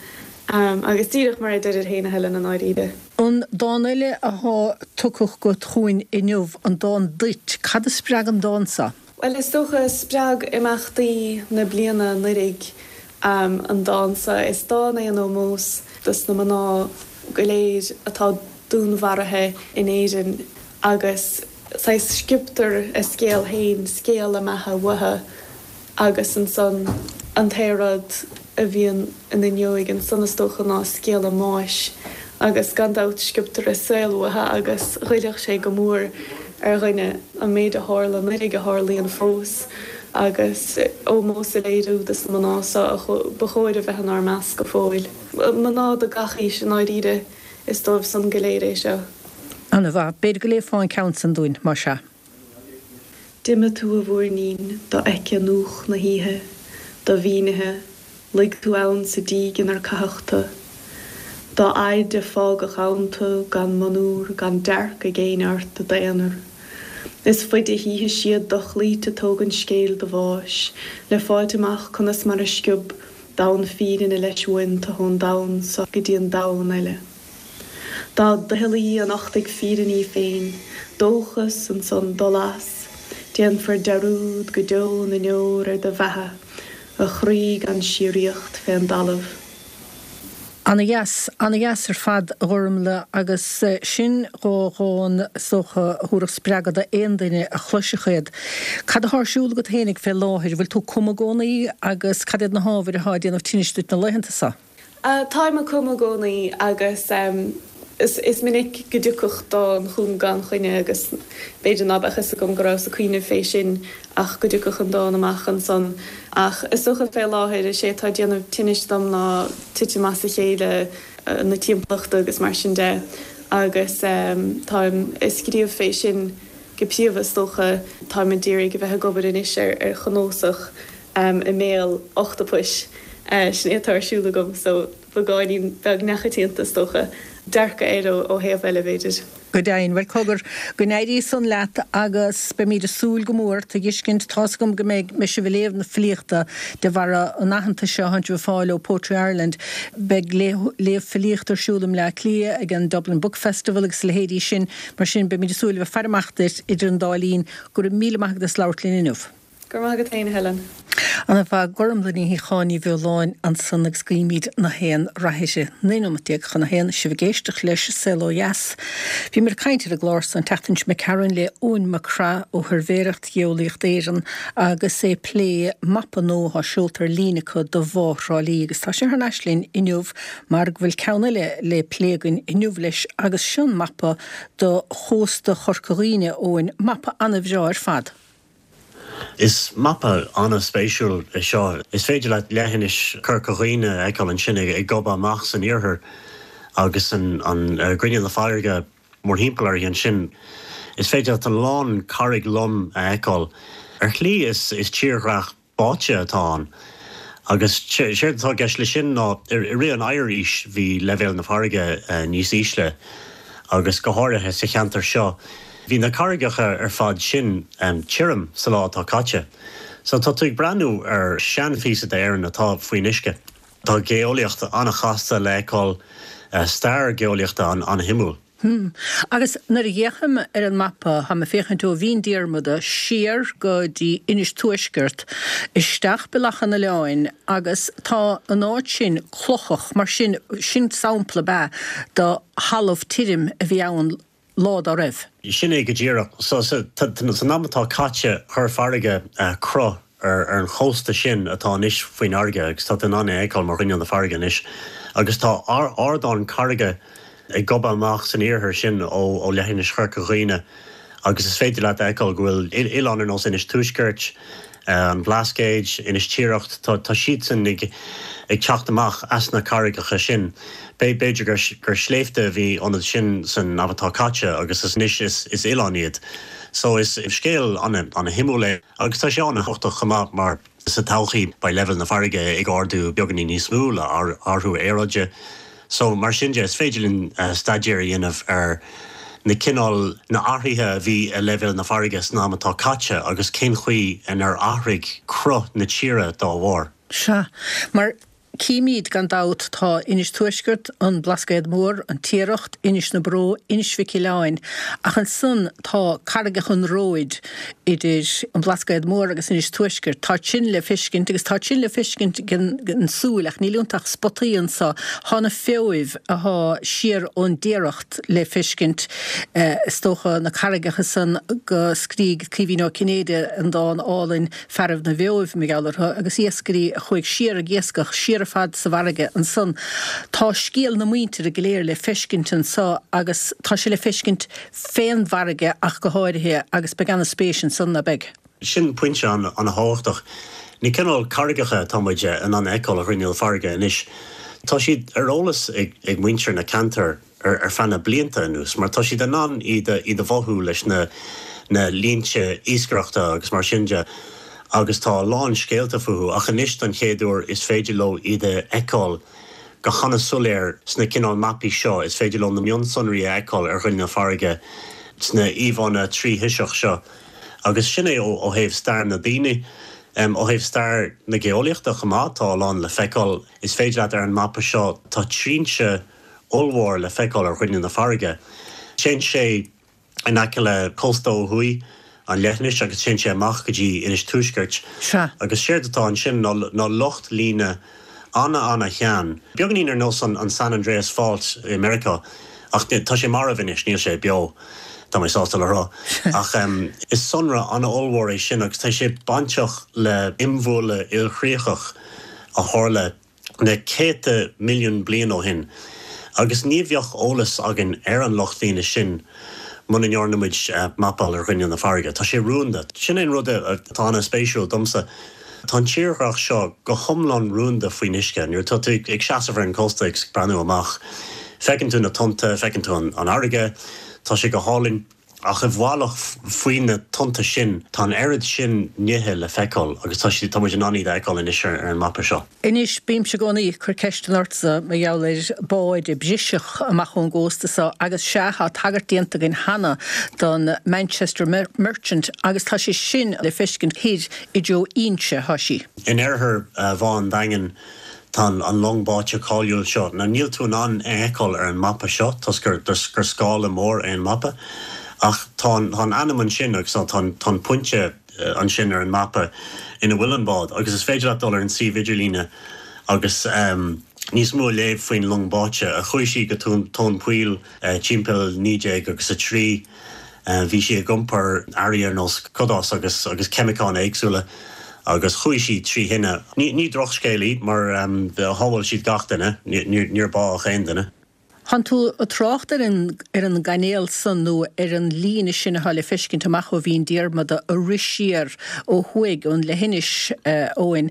Agus díreach mar a deirir féin, a Helen, i ndáiríre. An dán eile athá tugtha agat chugainn inniu, an dán 'Duit', cad a spreag an dán seo? Bhuel, is dócha, spreag imeachtaí na bliana anuraidh an dán seo. Is dán é in ómós dos na mná go léir atá dúnmharaithe in Éirinn agus saghas sciobtar a scéal féin, scéal a mbeatha uathu agus ansan an t-aon rud a bhíonn ina ndiaidh ansan is dócha ná scéal a mbáis agus gan dabht sciobtar a saol uathu agus ghoillfeadh sé go mór ar dhuine an méid a tharla anuraidh a tharlaíonn fós agus ómós a léiriú dos na mná seo a ba chóir a bheith inár measc go fóill. Mná de gach aois i ndáiríre, is dóibh san go léir é seo. Ana-mhaith. B'fhéidir go léifeá an ceann san dúinn, más ea. D'imigh tú a mhúirnín, dofheicthe in úth na hoíche, do-mhínithe, luigh tú ann sa díg inar caitheadh tu. Dá fhaide a fágadh ann tu gan monuar, gan dearc ag éinne ort i d'aonar. Is faide a shuífidh siad dochloíte tógaint scéil do bháis, le fáilt amach conas mar a sciob domhan fírinne leis uainn tu ón domhan so go dtí an domhan eile. Dá doicheallaí a nochtfaidh fírinne í féin, dóchas ansan dul as, déanfar dearúd go deo na ndeor ar do bheatha, a chroí gan síoraíocht fén dtalamh. Ana-dheas, ana-dheas ar fad, a Ghormfhlaith, agus sin dhá dhán, is dócha, a thabharfadh spreagadh d'aon duine a chloisfeadh iad. Cad atá ar siúl agat fhéinig fé láthair? Bhfuil tú ag cumadh i gcónaí agus cad iad na hábhair atá ag déanamh tinnis duit na laethanta seo? Táim ag cumadh i gcónaí agus is minic go dtiocfadh dán chugam gan choinne agus b'fhéidir ná beadh fhios agam go rabhas ag cuimhneamh fé sin ach go dtiocfadh an dán amach ansan. Ach is dócha fé láthair is é atá ag déanamh tinnis dom ná titim as a chéile na timpeallachta agus mar sin de agus táim ag scríobh fé sin go príomha is dócha. Táim a d'iarraidh a bheith ag obair anois ar chnuasach i mbéal ochtapais, sin é atá ar siúl agam so beagáinín beag neamhchoitianta is dócha, dearcadh air ó thaobh eile b'fhéidir. Go deimhin. Bhuel, cogar, go n-éirí san leat agus beimid ag súil go mór ort a fheiscint. Tá's agam go mbeidh sibh ag léamh na filíochta de bharr an aitheantais seo atánn sibh ag fáil ó Poetry Ireland. Beidh léamh filíochta ar siúl i mBleá Cliath ag an Dublin Book Festival agus a leithéidí sin. Mar sin, beimid ag súil a bheith ag faire amach duit idir an dá linn. Go raibh míle maith agat as labhairt linn inniu. Go raibh maith agat féin, a Helen. Ana mhaith, Gormlaith Ní Shíocháin Ní Bheoláin ansan agus guímid na haon rath uirthi. Naoi nóiméad déag chun a haon, sibh ag éisteacht leis Saol Ó Dheas. Bhíomar ag caint ar an gclár san an tseachtain seo imigh tharainn le Eoin Mac Craith ó Shuirbhéireacht Gheolaíocht Éireann agus é ag plé mapa nua atá seolta ar líne acu do Bhá Thrá Lí agus tá sé thar n-ais linn inniu mar go bhfuil ceann eile le plé againn inniu leis agus sin mapa do chósta Chorca Dhuibhne, Eoin, mapa ana-bhreá ar fad. Is mapa an-spéisiúil é seo. Is féidir leat leithinis Chorca Dhuibhne a fheiceáil ansin ag gobadh amach san iarthar agus an grinneall na farraige mórthimpeall uirthi ansin. Is féidir leat a lán carraig lom a fheiceáil. Ar shlí is tírdhreach báite atá ann. Agus séard atá i gceist leis sin ná i rith an oighearaois bhí leibhéal na farraige níos ísle agus go háirithe sa cheantar seo bhí na carraigeacha ar fad sin tirim sa lá atá caite. So tá tú ag breathnú ar seanphíosa d'Éirinn atá faoin uisce. Tá geolaíocht an-chasta le feiceáil, stair geolaíochta an-shuimiúil. Hmm. Agus nuair a fhéachaim ar an mapa, tá mé ag féachaint ó Mhín Diarmada siar go dtí Inis Tuaisceart, isteach Bealach an Oileáin agus tá an áit sin clochach, mar sin, sin sampla ab ea de thalamh tirim a bhí ann lá dá raibh. Sin é go díreach. So, san am atá caite, chuir farraige cruth ar an chósta sin atá anois faoin fharraige agus tá tú in ann é a fheiceáil mar ghrinneall na farraige anois. Agus tá ardán carraige ag gobadh amach san iarthar sin ó leithinis Chorca Dhuibhne agus is féidir leat a fheiceáil go bhfuil oileáin ar nós Inis Tuaiscirt, an Bhlascaeid, Inis Tiaracht, tá siadsan ag teacht amach as na carraigeacha sin. B'fhéidir gur sléibhte a bhí iontu sin san am atá caite agus anois is oileáin iad. So is scéal ana-shuimiúil é agus tá sé an-thábhachtach chomh maith mar sa todhchaí beidh leibhéal na farraige ag ardú beagáinín níos mó le athrú aeráide. So mar sin de is féidir linn staidéar a dhéanamh ar na cineál na athruithe a bhí i leibhéal na farraige san am atá caite agus cén chaoi inar athraigh cruth na tíre dá bharr. Sea, mar címid gan dabht tá Inis Tuaisceart, an Blascaod Mór, an Tiaracht, Inis na Bró, Inis Mhic Aoláin, ach ansan tá Carraigeacha an Róid idir an Blascaod Mór agus Inis Tuaisceart. Tá sin le feiscint agus tá sin le feiscint den súil ach níl iontu ach spotaí anso. Tá na Feabhail athá siar ón dTiaracht le feiscint, is dócha na carraigeacha san go scrígh Caoimhín Ó Cinnéide an dán álainn Fearaibh na bhFeabhail mar gheall orthu agus iascairí a chuaigh siar ag iascach siar ar fad sa bhfarraige ansan. Tá scéal na muintire go léir le feiscint anso agus tá sé le feiscint fén bhfarraige ach go háirithe agus beidh ana-spéis ansan, ná beidh? Sin pointe an-thábhachtach. Na cineál carraigeacha atá muid in ann a fheiceáil ar ghrinneall na farraige anois, tá siad ar eolas ag muintir na ceantar ar feadh na blianta anuas mar tá siad in ann iad a mhothú leis na línte iascaireachta agus mar sin de agus tá a lán scéalta fúthu ach anois don chéad uair is féidir leo iad a fheiceáil go han-soiléir sna cineál mapaí seo, is féidir leo na mionsonraí a fheiceáil ar ghrinneall na farraige sna íomhánna tríthoiseach seo agus sin é ó thaobh stair na daoine. Ó thaobh stair na geolaíochta chomh maith, tá a lán le feiceáil. Is féidir leat ar an mapa seo, tá trinse ollmhór le feiceáil ar ghrinneall na farraige. Téann sé in aice le cósta ó thuaidh an leithinis agus téann sé amach go dtí Inis Tuaiscirt. Sea. Agus séard atá ansin ná lucht líne ana-ana-shean, beagáinín ar nós an San Andreas Fault i Meiriceá, ach tá sé marbh anois, níl sé beo, tá mé sásta le rá. Ach is sonra ana-ollmhór é sin agus tá sé bainteach le imbhualadh ilchríochach a tharla na céadta milliún bliain ó shin agus ní bheadh eolas againn ar an lucht líne sin muna ndearna muid mapáil ar ghrinneall na farraige. Tá sé rúnda. Sin é an rud atá ana-spéisiúil domsa. Tá an tírdhreach seo go hiomlán rúnda faoin uisce. Nuair atá tú ag seasamh ar an gcósta ag breathnú amach, feiceann tú na tonnta, feiceann tú an fharraige, tá sé go hálainn. Ach i bhfalach faoi na tonnta sin, tá an oiread sin nithe le feiceáil agus tá siad, tá muid in ann iad a fheiceáil anois ar an mapa seo. Anois, bímse i gcónaí ag cur ceisteanna ortsa mar gheall ar báid a briseadh amach ón gcósta so agus sea, tá tagairt déanta againn cheana don Manchester Merchant agus tá sé sin le feiscint thoir i dtreo Inse, thá sí. In oirthear Bhá an Daingin tá an long báite cáiliúil seo. Now níl tú in ann é a fheiceáil ar an mapa seo toisc gur gur scála mór é an mapa ach tá an tá an ainm ansin agus tá an tá an pointe ansin ar an mapa ina bhfuil an bád agus is féidir leat dul ar an suíomh idirlíne agus níos mó a léamh faoin long báite a chuaigh sí go tóin poill timpeall naoi déag agus a trí. Bhí sí ag iompar earraí ar nós cadás agus agus ceimiceáin éagsúla agus chuaigh sí trí thine. Ní ní drochscéal í mar shábháil siad gach duine, níor bádh aon duine. Thánn tú ag trácht ar an ar an gcainéal san nó ar an líne sin atá le feiscint amach ó Bhinn Diarmada a rith siar ó thuaidh ón leithinis, a Eoin.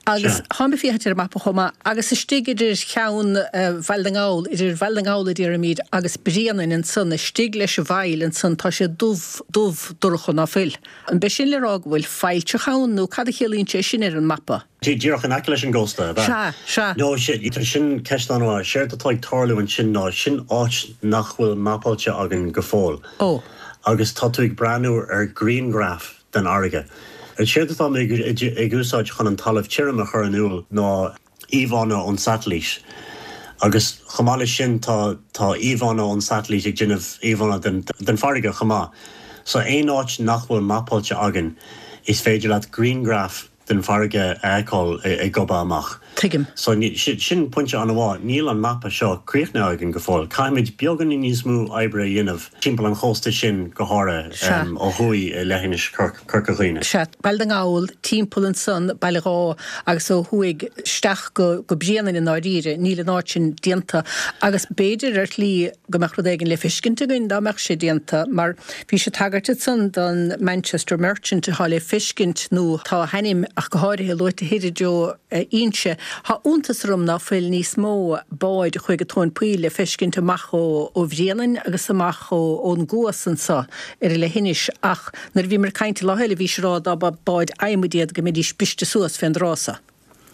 Agus tháim ag féachaint ar an mapa chomh maith agus istigh idir cheann Bhaile na nGall, idir Bhaile na nGall a déarfaimid agus Bréanainn ansan, istigh leis an bhfaill ansan tá sé dubh, dubh dorcha ná fuil. An b'é sin le rá go bhfuil failltreach ann nó cad a chiallaíonn sé sin ar an mapa? Díreach in aice leis an gcósta, ab ea? Sea, sea. No, sin ceist an-mhaith. Séard atá ag tarlú ansin ná sin áit nach bhfuil mapáilte againn go fóill. Ó. Agus tá tú ag breathnú ar ghrianghraf den fharraige. Séard atá mé ag úsáid chun an talamh tirim a chur in iúl ná íomhánna ón satailít. Agus chomh maith leis sin tá tá íomhánna ón satailít ag déanamh íomhánna den den farraige chomh maith. So aon áit nach bhfuil mapáilte againn is féidir leat grianghraf den bhfarraige a fheiceáil ag gobadh amach. Tuigim. So sin pointe an-mhaith. Níl an mapa seo críochnaithe againn go fóill. Caithfimid beagáinín níos mó oibre a dhéanamh timpeall an chósta sin go háirithe ó thuaidh i leithinis Chorca Dhuibhne. Sea. Baile na nGall, timpeall ansan, Baile Dháith agus ó thuaidh isteach go Bréanainn i ndáiríre. Níl an áit sin déanta agus b'fhéidir ar shlí go mbeadh rud éigin le feiscint againn dá mbeadh sé déanta mar bhís ag tagairt ansan don Manchester Merchant atá le feiscint nó tá a hainm ach go háirithe luaite thoir i dtreo Inse. Tá iontas orm ná fuil níos mó báid a chuaigh go Tóin Poill le feiscint amach ó Bhréanainn agus amach ón gCuas anso ar an leithinis ach nuair a bhíomar ag caint an lá eile bhís ag rá dá ba báid adhmaid iad go mbeidís briste suas fén dtráth so.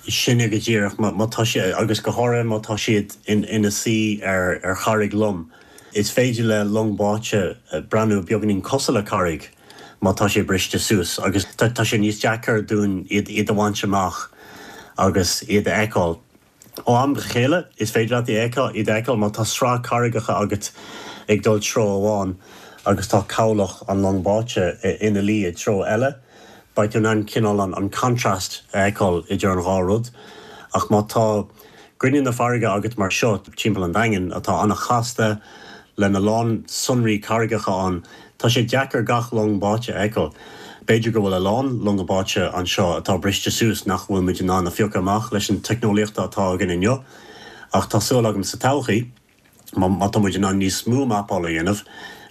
Sin é go díreach. Má tá sé, agus go háirithe má tá siad ina suí ar charraig lom. Is féidir le long báite breathnú beagáinín cosúil le carraig má tá sé briste suas agus tá sé níos deacair dúinn iad a bhaint amach agus iad a fheiceáil. Ó am go chéile is féidir leat iad a fheiceáil má tá sraith carraigeacha agat ag dul treo amháin agus tá cabhlach an long báite ina luí i dtreo eile, beidh tú in ann cineál an contrast a fheiceáil idir an dhá rud. Ach má tá grinneall na farraige agat mar seo timpeall an Daingin, atá an-chasta, lena lán sonraí carraigeacha ann, tá sé deacair gach long báite a fheiceáil. B'fhéidir go bhfuil a lán longa báite anseo atá briste suas nach bhfuil muid in ann a phiocadh amach leis an teicneolaíocht atá againn inniu, ach tá súil agam sa todhchaí, má tá muid in ann níos mó mapála a dhéanamh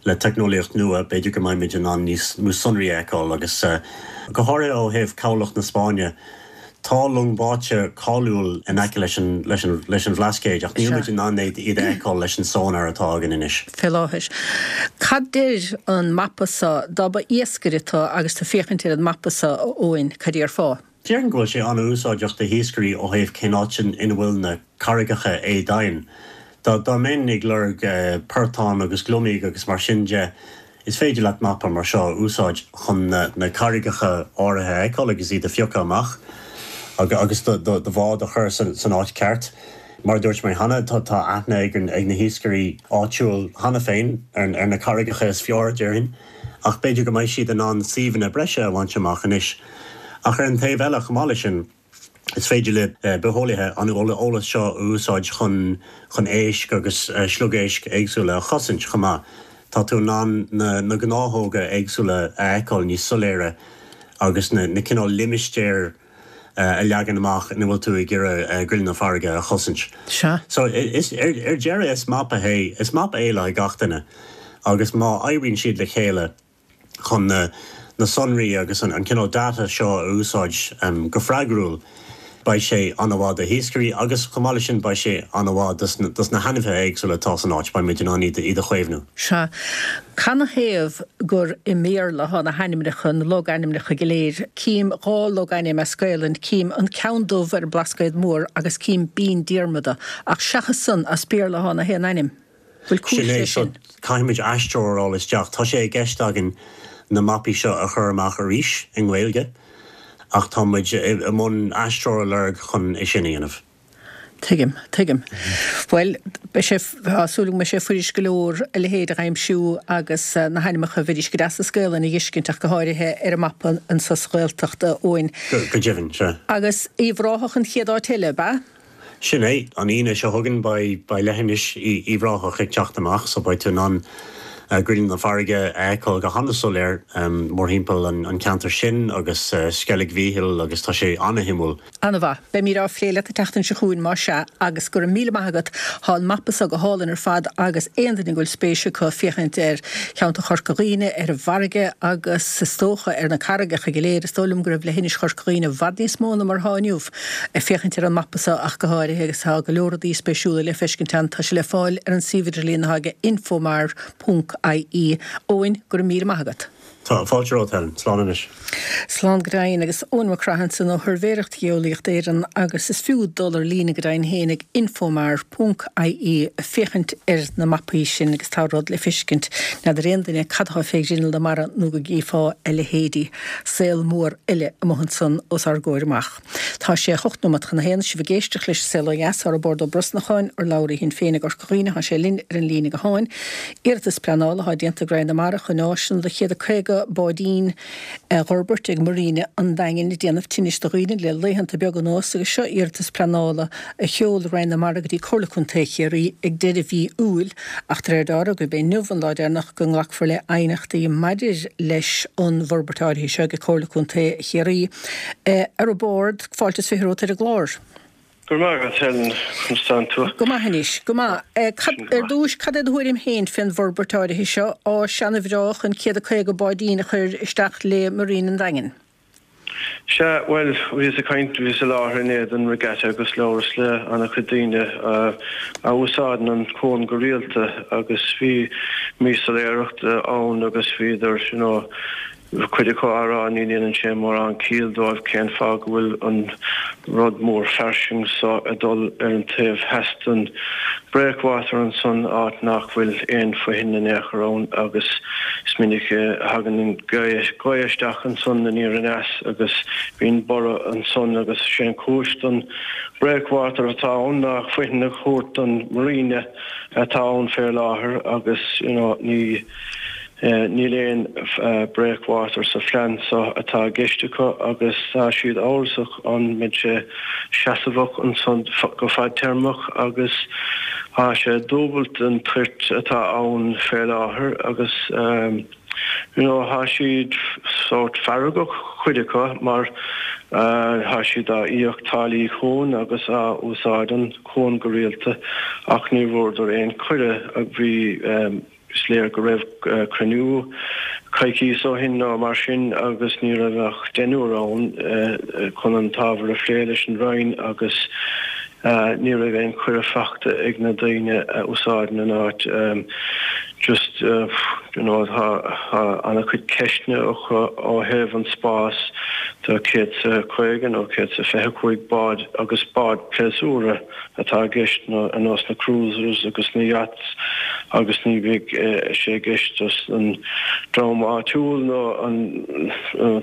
le teicneolaíocht nua, b'fhéidir go mbeidh muid in ann níos mó sonraí a fheiceáil agus, go háirithe ó thaobh cabhlach na Spáinne, tá long báite cáiliúil in aice leis an leis an leis an Bhlascaod ach níl muid in ann iad a fheiceáil leis an sonar atá againn anois. Fé láthair. Cad deir an mapa so dá ba iascaire tu agus tú féachaint ar an mapa so, a Eoin, cad déarfá? Déarfainn go bhfuil sé an-úsáideach do hiascairí ó thaobh cén áit ina bhfuil na carraigeacha éadomhain. Dá dá mbeinn ag lorg portán agus gliomaigh agus mar sin de, is féidir leat mapa mar seo a úsáid chun na carraigeacha áirithe a fheiceáil agus iad a phiocadh amach agus do bhád a chur san áit ceart. Mar a dúirt mé cheana, tá aithne ag na hiascairí áitiúil cheana féin ar na carraigeacha is fearr, déarfainn, ach b'fhéidir go mbeidh siad in ann suíomhanna breise a bhaint amach anois. Ach ar an taobh eile, chomh maith leis sin, is féidir le bitheolaithe an eolas seo a úsáid chun chun éisc agus sliogéisc éagsúla a chosaint chomh maith. Tá tú in ann na na gnáthóga éagsúla a fheiceáil níos soiléire agus na na cineál limistéir a leagan amach ina bhfuil tú ag iarraidh grinneall na farraige a chosaint. Sea. So is ar ar deireadh is mapa é is mapa é le haghaidh gach duine agus má oibríonn siad le chéile chun na sonraí agus an cineál data seo a úsáid go freagrúil, beidh sé an-mhaith do hiascairí agus chomh maith leis sin beidh sé an-mhaith dos na hainmhithe éagsúla atá san áit, beidh muid in ann iad a chaomhnú. Sea. Canathaobh gur i mBéarla atá na hainmneacha, na logainmneacha go léir? Cím dhá logainm as Gaelainn, cím An Ceann Dubh ar an mBlascaod Mór agus cím Binn Diarmada, ach seachas san, as Béarla atá na haon ainm. Bhfuil cúis Sin é, leis so sin? caithfimid aistritheoir a fháil isteach. Tá sé i gceist againn na mapaí seo a chur amach arís i nGaeilge ach tá muid i mbun aistritheoir a lorg chun é sin a dhéanamh. Tuigim, tuigim. Bhuel, beidh sé, tá súil agam go mbeidh sé fuirist go leor a leithéid a aimsiú agus na hainmneacha bheidís go deas as Gaelainn a dh'fheiscint ach go háirithe ar an mapa anso sa Ghaeltacht, a Eoin. Go deimhin, sea. Agus Uíbh Ráthach an chéad áit eile, ab ea? Sin é, an Aoine seo chugainn beidh leithinis Uíbh Ráthach ag teacht amach so beidh tú in ann grinneall na farraige a fheiceáil go han-soiléir mórthimpeall an cheantair sin agus Sceilg Mhíchíl agus tá sé an-shuimiúil. An-mhaith. Beimid á phlé leat an tseachtain seo chugainn más ea agus go raibh míle maith agat. Tá an mapa seo go hálainn ar fad agus aon duine go bhfuil spéis acu féachaint ar cheantar Chorca Dhuibhne, ar an bhfarraige agus is dócha ar na carraigeacha go léir, is dóigh liom go raibh leithinis Chorca Dhuibhne i bhfad níos mó ná mar atá inniu ag féachaint ar an mapa seo ach go háirithe agus tá go leor rudaí spéisiúla le feiscint ann. Tá sé le fáil ar an suíomh idirlín atá aige infomar ponc ie. Eoin, go raibh míle maith agat. Tá fáilte romhat, Helen. Slán anois. Slán go deimhin. Agus Eoin Mac Craith ansan ó Shuirbhéireacht Gheolaíocht Éireann agus is fiú dul ar líne go deimhin féin ag infomar ponc ie féachaint ar na mapaí sin agus tá rud le feiscint. N'fheadar aon duine cad atá fé ghrinneall na mara nó go gcífeá a leithéidí. Saol mór eile amuigh ansan os ár gcomhair amach. Tá sé hocht nóiméad chun a haon, sibh ag éisteacht leis An Saol Ó Dheas, ar Roibeárd Ó Brosnacháin, urlabhraí Shinn Féin i gCorca Dhuibhne, tá sé linn ar an líne gutháin. Iarratas pleanála atá déanta ag Roinn na Mara chun áiseanna do chéad a caoga báidín a dh'fhorbairt ag Marina an Daingin ag déanamh tinnis do dhaoine le laethanta beaga anuas agus seo iarratas pleanála a sheol Roinn na Mara go dtí Comhairle Contae Chiarraí ag deireadh mhí Iúil ach de réir dealraimh gurb é inniu an lá deireanach go nglacfar le aighneachtaí maidir leis an bhforbairt áirithe seo ag Comhairle Contae Chiarraí. A Roibeaird, fáilte is fiche romhat ar an gclár. Go raibh maith agat, Helen. Conas tánn tú? Go maith anois, go maith. Ar dtúis, cad é do thuairim féin fén bhforbairt áirithe seo, áis ana-bhreá chun céad a caoga báidín a chur isteach le Marina an Daingin? Sea, bhuel, bhíos ag caint, bhíos i láthair inné don regatta agus labhras le an-chuid daoine a úsáideann an cuan go rialta agus bhí míshoiléireacht ann agus bhíodar, you know, cuid acu á rá ní dhéanann sé mórán ciall dóibh cén fáth go bhfuil an rud mór fairsing so ag dul ar an taobh theas den breakwater ansan, áit nach bhfuil aon fhoithin in aon chor ann agus is minic a thagann an ghaoth isteach ansan aniar aneas agus bíonn borradh ansan agus sé an chúis don breakwater atá ann ná fothain a thabhairt don marina atá ann fé láthair agus you know ní Níl aon breakwater sa phlean seo atá i gceist acu agus tá siad amhrasach an mbeidh sé seasmhach ansan go fadtéarmach agus tá sé dúbailt den toirt atá ann fé láthair agus you know tá siad sórt feargach cuid acu mar tá siad á íoc táillí cuain agus á úsáid an cuan go rialta ach ní bhfuaireadar aon cuireadh bhí Is léir go raibh cruinniú coicíos ó shin nó mar sin agus ní raibh ach deichniúr ann chun an t-ábhar a phlé leis an Roinn agus ní raibh aon cuireadh fachta ag na daoine a úsáideann an áit. Just you know tá an-chuid ceisteanna acu ó thaobh an spás do céad 's a caoga nó céad 's a fiche cúig bád agus bád pléasúra atá i gceist ar nós na cruisers agus na yachts agus ní bheidh sé i gceist dos an dream áitiúil nó an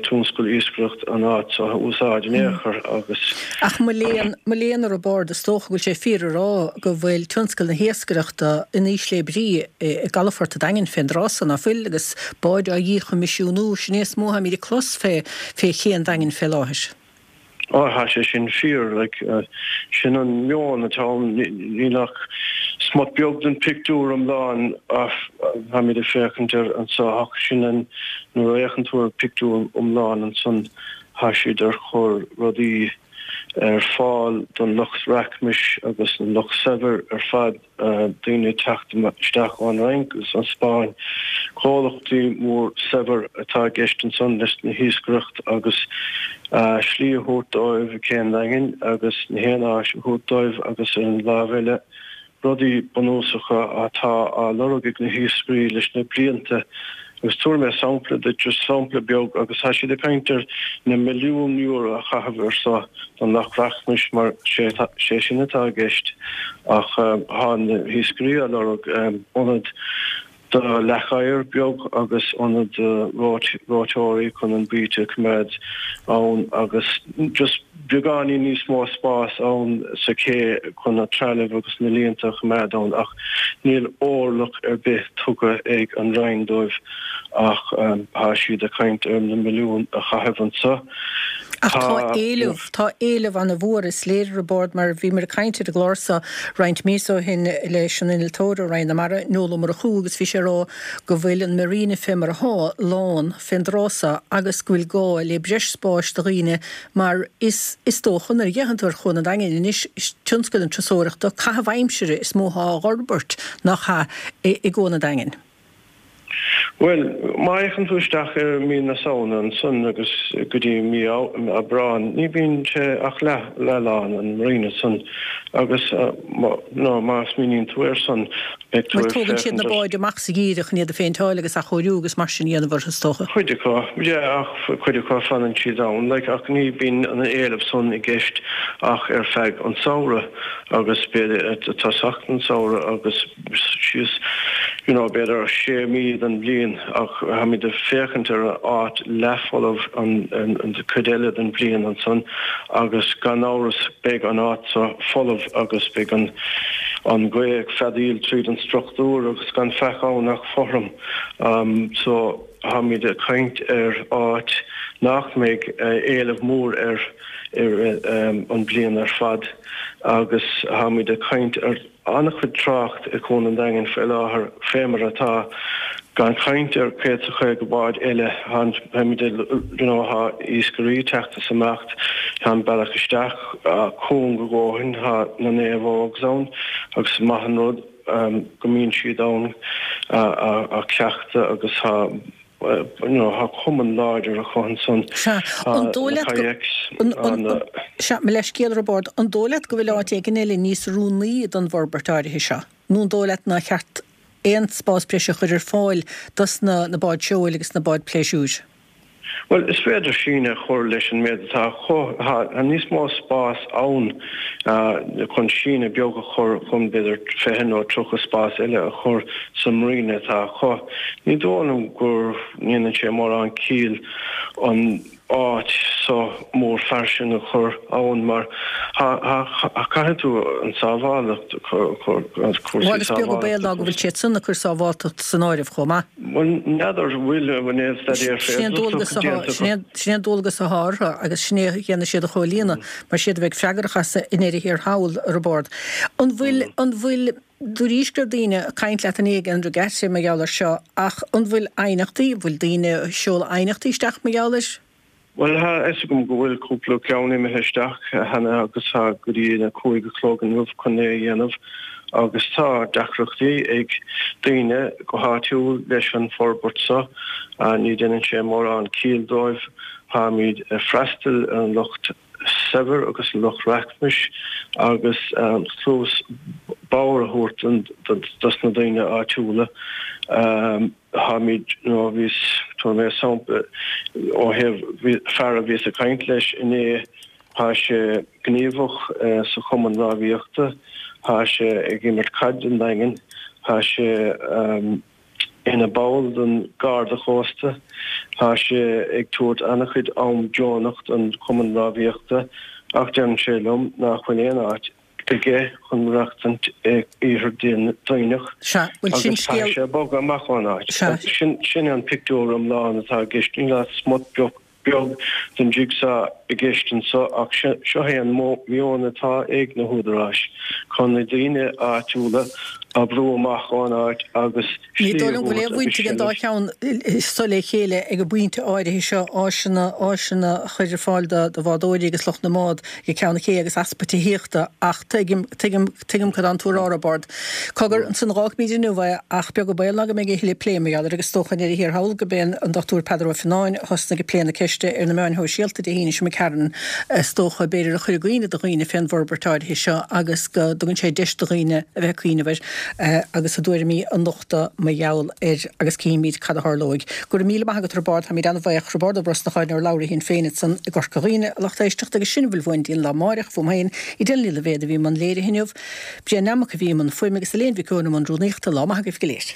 tionscal iascaireacht an áit seo a úsáid in aon chor agus. Ach mo léan, mo léan a Roibeaird, is dócha go bhfuil sé fíor a rá go bhfuil tionscal na hiascaireachta in ísle brí i gcalafort an Daingin fén dtráth so, ná fuil, agus báid á dhíchoimisiúnú, sin é is mó atáimid ag clos fé, fé ché an Daingin fé láthair. Á, tá sé sin fíor, like, sin an meon atá ann, níl ach smut beag den pictiúr iomlán táimid ag féachaint air anso ach sin an, nuair a fhéachann tú ar an pictiúr iomlán ansan tá siad ar chur rudaí ar fáil don lucht rachmais agus an lucht saibhir ar fad. daoine ag teacht isteach ón Fhrainc agus an Spáinn. Comhlachtaí mór saibhir atá i gceist ansan leis na hiascaireacht agus slí a thabhairt dóibh i gCé an Daingin agus na haon áis a thabhairt dóibh agus ar an lámh eile rudaí bunúsacha atá á lorg ag na hiascairí leis na blianta. Agus tabharfaidh mé sampla duit, just sampla beag, agus tá siad ag caint ar na milliúin euro a chaitheamh ar so don lucht rachmais mar sé sé sin atá i gceist ach tá na hiascairí á lorg ionad do leac oighir beag agus ionad do reoiteoirí chun an baoite a choimeád ann agus just beagáinín níos mó spás ann sa ché chun na trealamh agus na líonta a choimeád ann ach níl orlach ar bith tugtha ag an Roinn dóibh ach tá siad ag caint ar na milliúin a chaitheamh anseo. Ach tá éileamh, tá éileamh ana-mhór, is léir Roibeárd mar bhíomar ag caint ar an gclár seo roinnt míosa ó shin leis an innealtóir ó Roinn na Mara, Noel Ó Murchú agus bhí sé ag rá go bhfuil an marina fé mar athá lán fén dtráth seo agus go bhfuil gá le breis spáis do dhaoine mar is is dócha nuair a fhéachann tú ar Chuan an Daingin anois is tionscal na turasóireachta, caitheamh aimsire is mó athá á dh'fhorbairt nach ea i gCuan an Daingin. Bhuel, má fhéachann tú isteach ar mí na Samhna ansan agus go dtí mí Aibreáin, ní bhíonn sé ach leath leath-lán, an marina san, agus nó má smaoiníonn tú air san, beidh tú Bhuel, ag tógann siad féachaint na ar. báid amach sa gheimhreadh chun iad a phéinteáil agus athchóiriú agus mar sin a dhéanamh orthu, is dócha. Cuid acu, yeah, ach cuid acu fanann siad ann, like, ach ní bhíonn an éileamh san i gceist ach ar feadh an samhradh agus b'fhéidir tosach an samhradh agus síos you know b'fhéidir sé mí den bhliain ach táimid ag féachaint ar an áit leathfholamh an an chuid eile den bhliain ansan agus gan amhras beidh an áit seo folamh agus beidh an an ghaoth ag feadaíl tríd an struchtúr agus gan faic ann ach fothram so táimid ag caint ar áit nach mbeidh éileamh mór air ar an bliain ar fad agus táimid ag caint ar an-chuid trácht i gCuan an Daingin faoi láthair, fé mar atá, gan caint ar céad is caoga bád eile. Táimid ag, you know, tá iascairí ag teacht is imeacht, tá an bealach isteach cúng a dhóthain, tá na naomhógs ann agus is maith an rud go mbíonn siad ann á cleachtadh agus tá you know, tá cumann láidir acu ansan, Sea, an dóigh na leat go, kayaks, an, an, na. sea, mo leithscéal, Roibeárd, an dóigh leat go bhfuil áit éigin eile níos oiriúnaí don bhforbairt áirithe seo? Nó an dóigh leat nár cheart aon spás breise a chur ar fáil dos na na báid seoil agus na báid pléisiúir? Bhuel, is féidir síneadh a chur leis an méid atá acu. Tá níos mó spás ann chun síneadh beag a chur chun b'fhéidir fiche nó tríocha spás eile a chur sa marina atá acu. Ní dóigh liom go ndéanann sé mórán ciall an áit so mór fairsing a chur ann mar caithfidh tú an sábháilteacht a chur, cúrsaí Bhuel, is beag an baol ná go bhfuil siad san ag cur sábháilteacht san áireamh chomh maith. Bhuel, n'fheadar an bhfuil aon staidéar Sin é an dualgas féidearthachta atá, déanta sin é, sin é an dualgas atá orthu agus sin é a dhéanfaidh siad a chomhlíonadh mar siad a bheidh freagrach as i ndeireadh thiar thall, a Roibeárd. An bhfuil, an bhfuil, dúraís go raibh daoine ag caint leat inné ag an regatta mar gheall air seo ach an bhfuil aighneachtaí, an bhfuil daoine ag seoladh aighneachtaí isteach mar gheall air? Bhuel, tá a fhios agam go bhfuil cúpla ceann imithe isteach cheana agus tá go dtí a cúig a chlog inniu chun é a dhéanamh agus tá deacrachtaí ag daoine go háitiúil leis an forbairt seo. Ní dhéanann sé mórán ciall dóibh. Táimid ag freastal ar an lucht saibhir agus an lucht rachmais agus cluas bodhar a thabhairt dos na daoine áitiúla. Táimid, nó bhíos, tabharfaidh mé sampla ó thaobh fear a bhíos ag caint leis inné, tá sé gníomhach sa chumann rámhaíochta, tá sé ag imirt caid don Daingean, tá sé ina ball den Garda Chósta, tá sé ag tabhairt an-chuid am deonach don chumann rámhaíochta ach deireann sé liom nach bhfuil aon áit aige chun maireachtaint i Iarthar Duibhneach Sea, bhuel sin agus caithfidh scéal. sé bogadh amach ón áit. Sea. Sin, sin an pictiúr iomlán atá i gceist. Níl ach smut beag, beag den jigsaw i gceist anseo ach seo é an meon atá ag na húdaráis, chun na daoine áitiúla a bhrú amach ón áit agus Ní slí dóigh a liom go bhfuil thabhairt aon agus bhaint ag an dá seilbh. cheann so le chéile ag an bpointe áirithe seo, áiseanna, áiseanna a chur ar fáil do do bhádóirí agus lucht na mbád ag ceann an ché agus easpa tithíochta ach tuigim, tuigim, tuigim cad tánn tú a rá, a Roibeárd. Cogar, ansan dh'fhágfaimid inniu é ach beag an baol ná go mbeidh a thuilleadh plé mar gheall air agus is dócha i ndeireadh thiar thall go b'é an Dochtúir Peadar Ó Fionnáin a thosnaigh ag plé na ceiste ar na meáin shóisialta Dé hAoine seo imigh tharainn, is dócha, b'fhéidir a chuir i gcuimhne do dhaoine fén bhforbairt áirithe seo agus go dtugann sé deis do dhaoine a bheith ag cuimhneamh air. agus a dtuairimí a nochtadh mar gheall air agus cífimid cad a tharlóidh. Go raibh míle maith agat a Roibeárd, táimid an-bhaoch. Roibeárd Ó Brosnacháin, urlabhraí Shinn Féin ansan i gCorca Dhuibhne, a lucht éisteachta agus sin a bhfuil uainn go dtí an lá amáireach, fúm féin, Edel Ní Loibhéad a bhí i mbun léirithe inniu, Brian Nammock a bhí i mbun fuaime agus Elaine Mhic Eoin i mbun rúnaíochta. Lá maith agaibh go léir.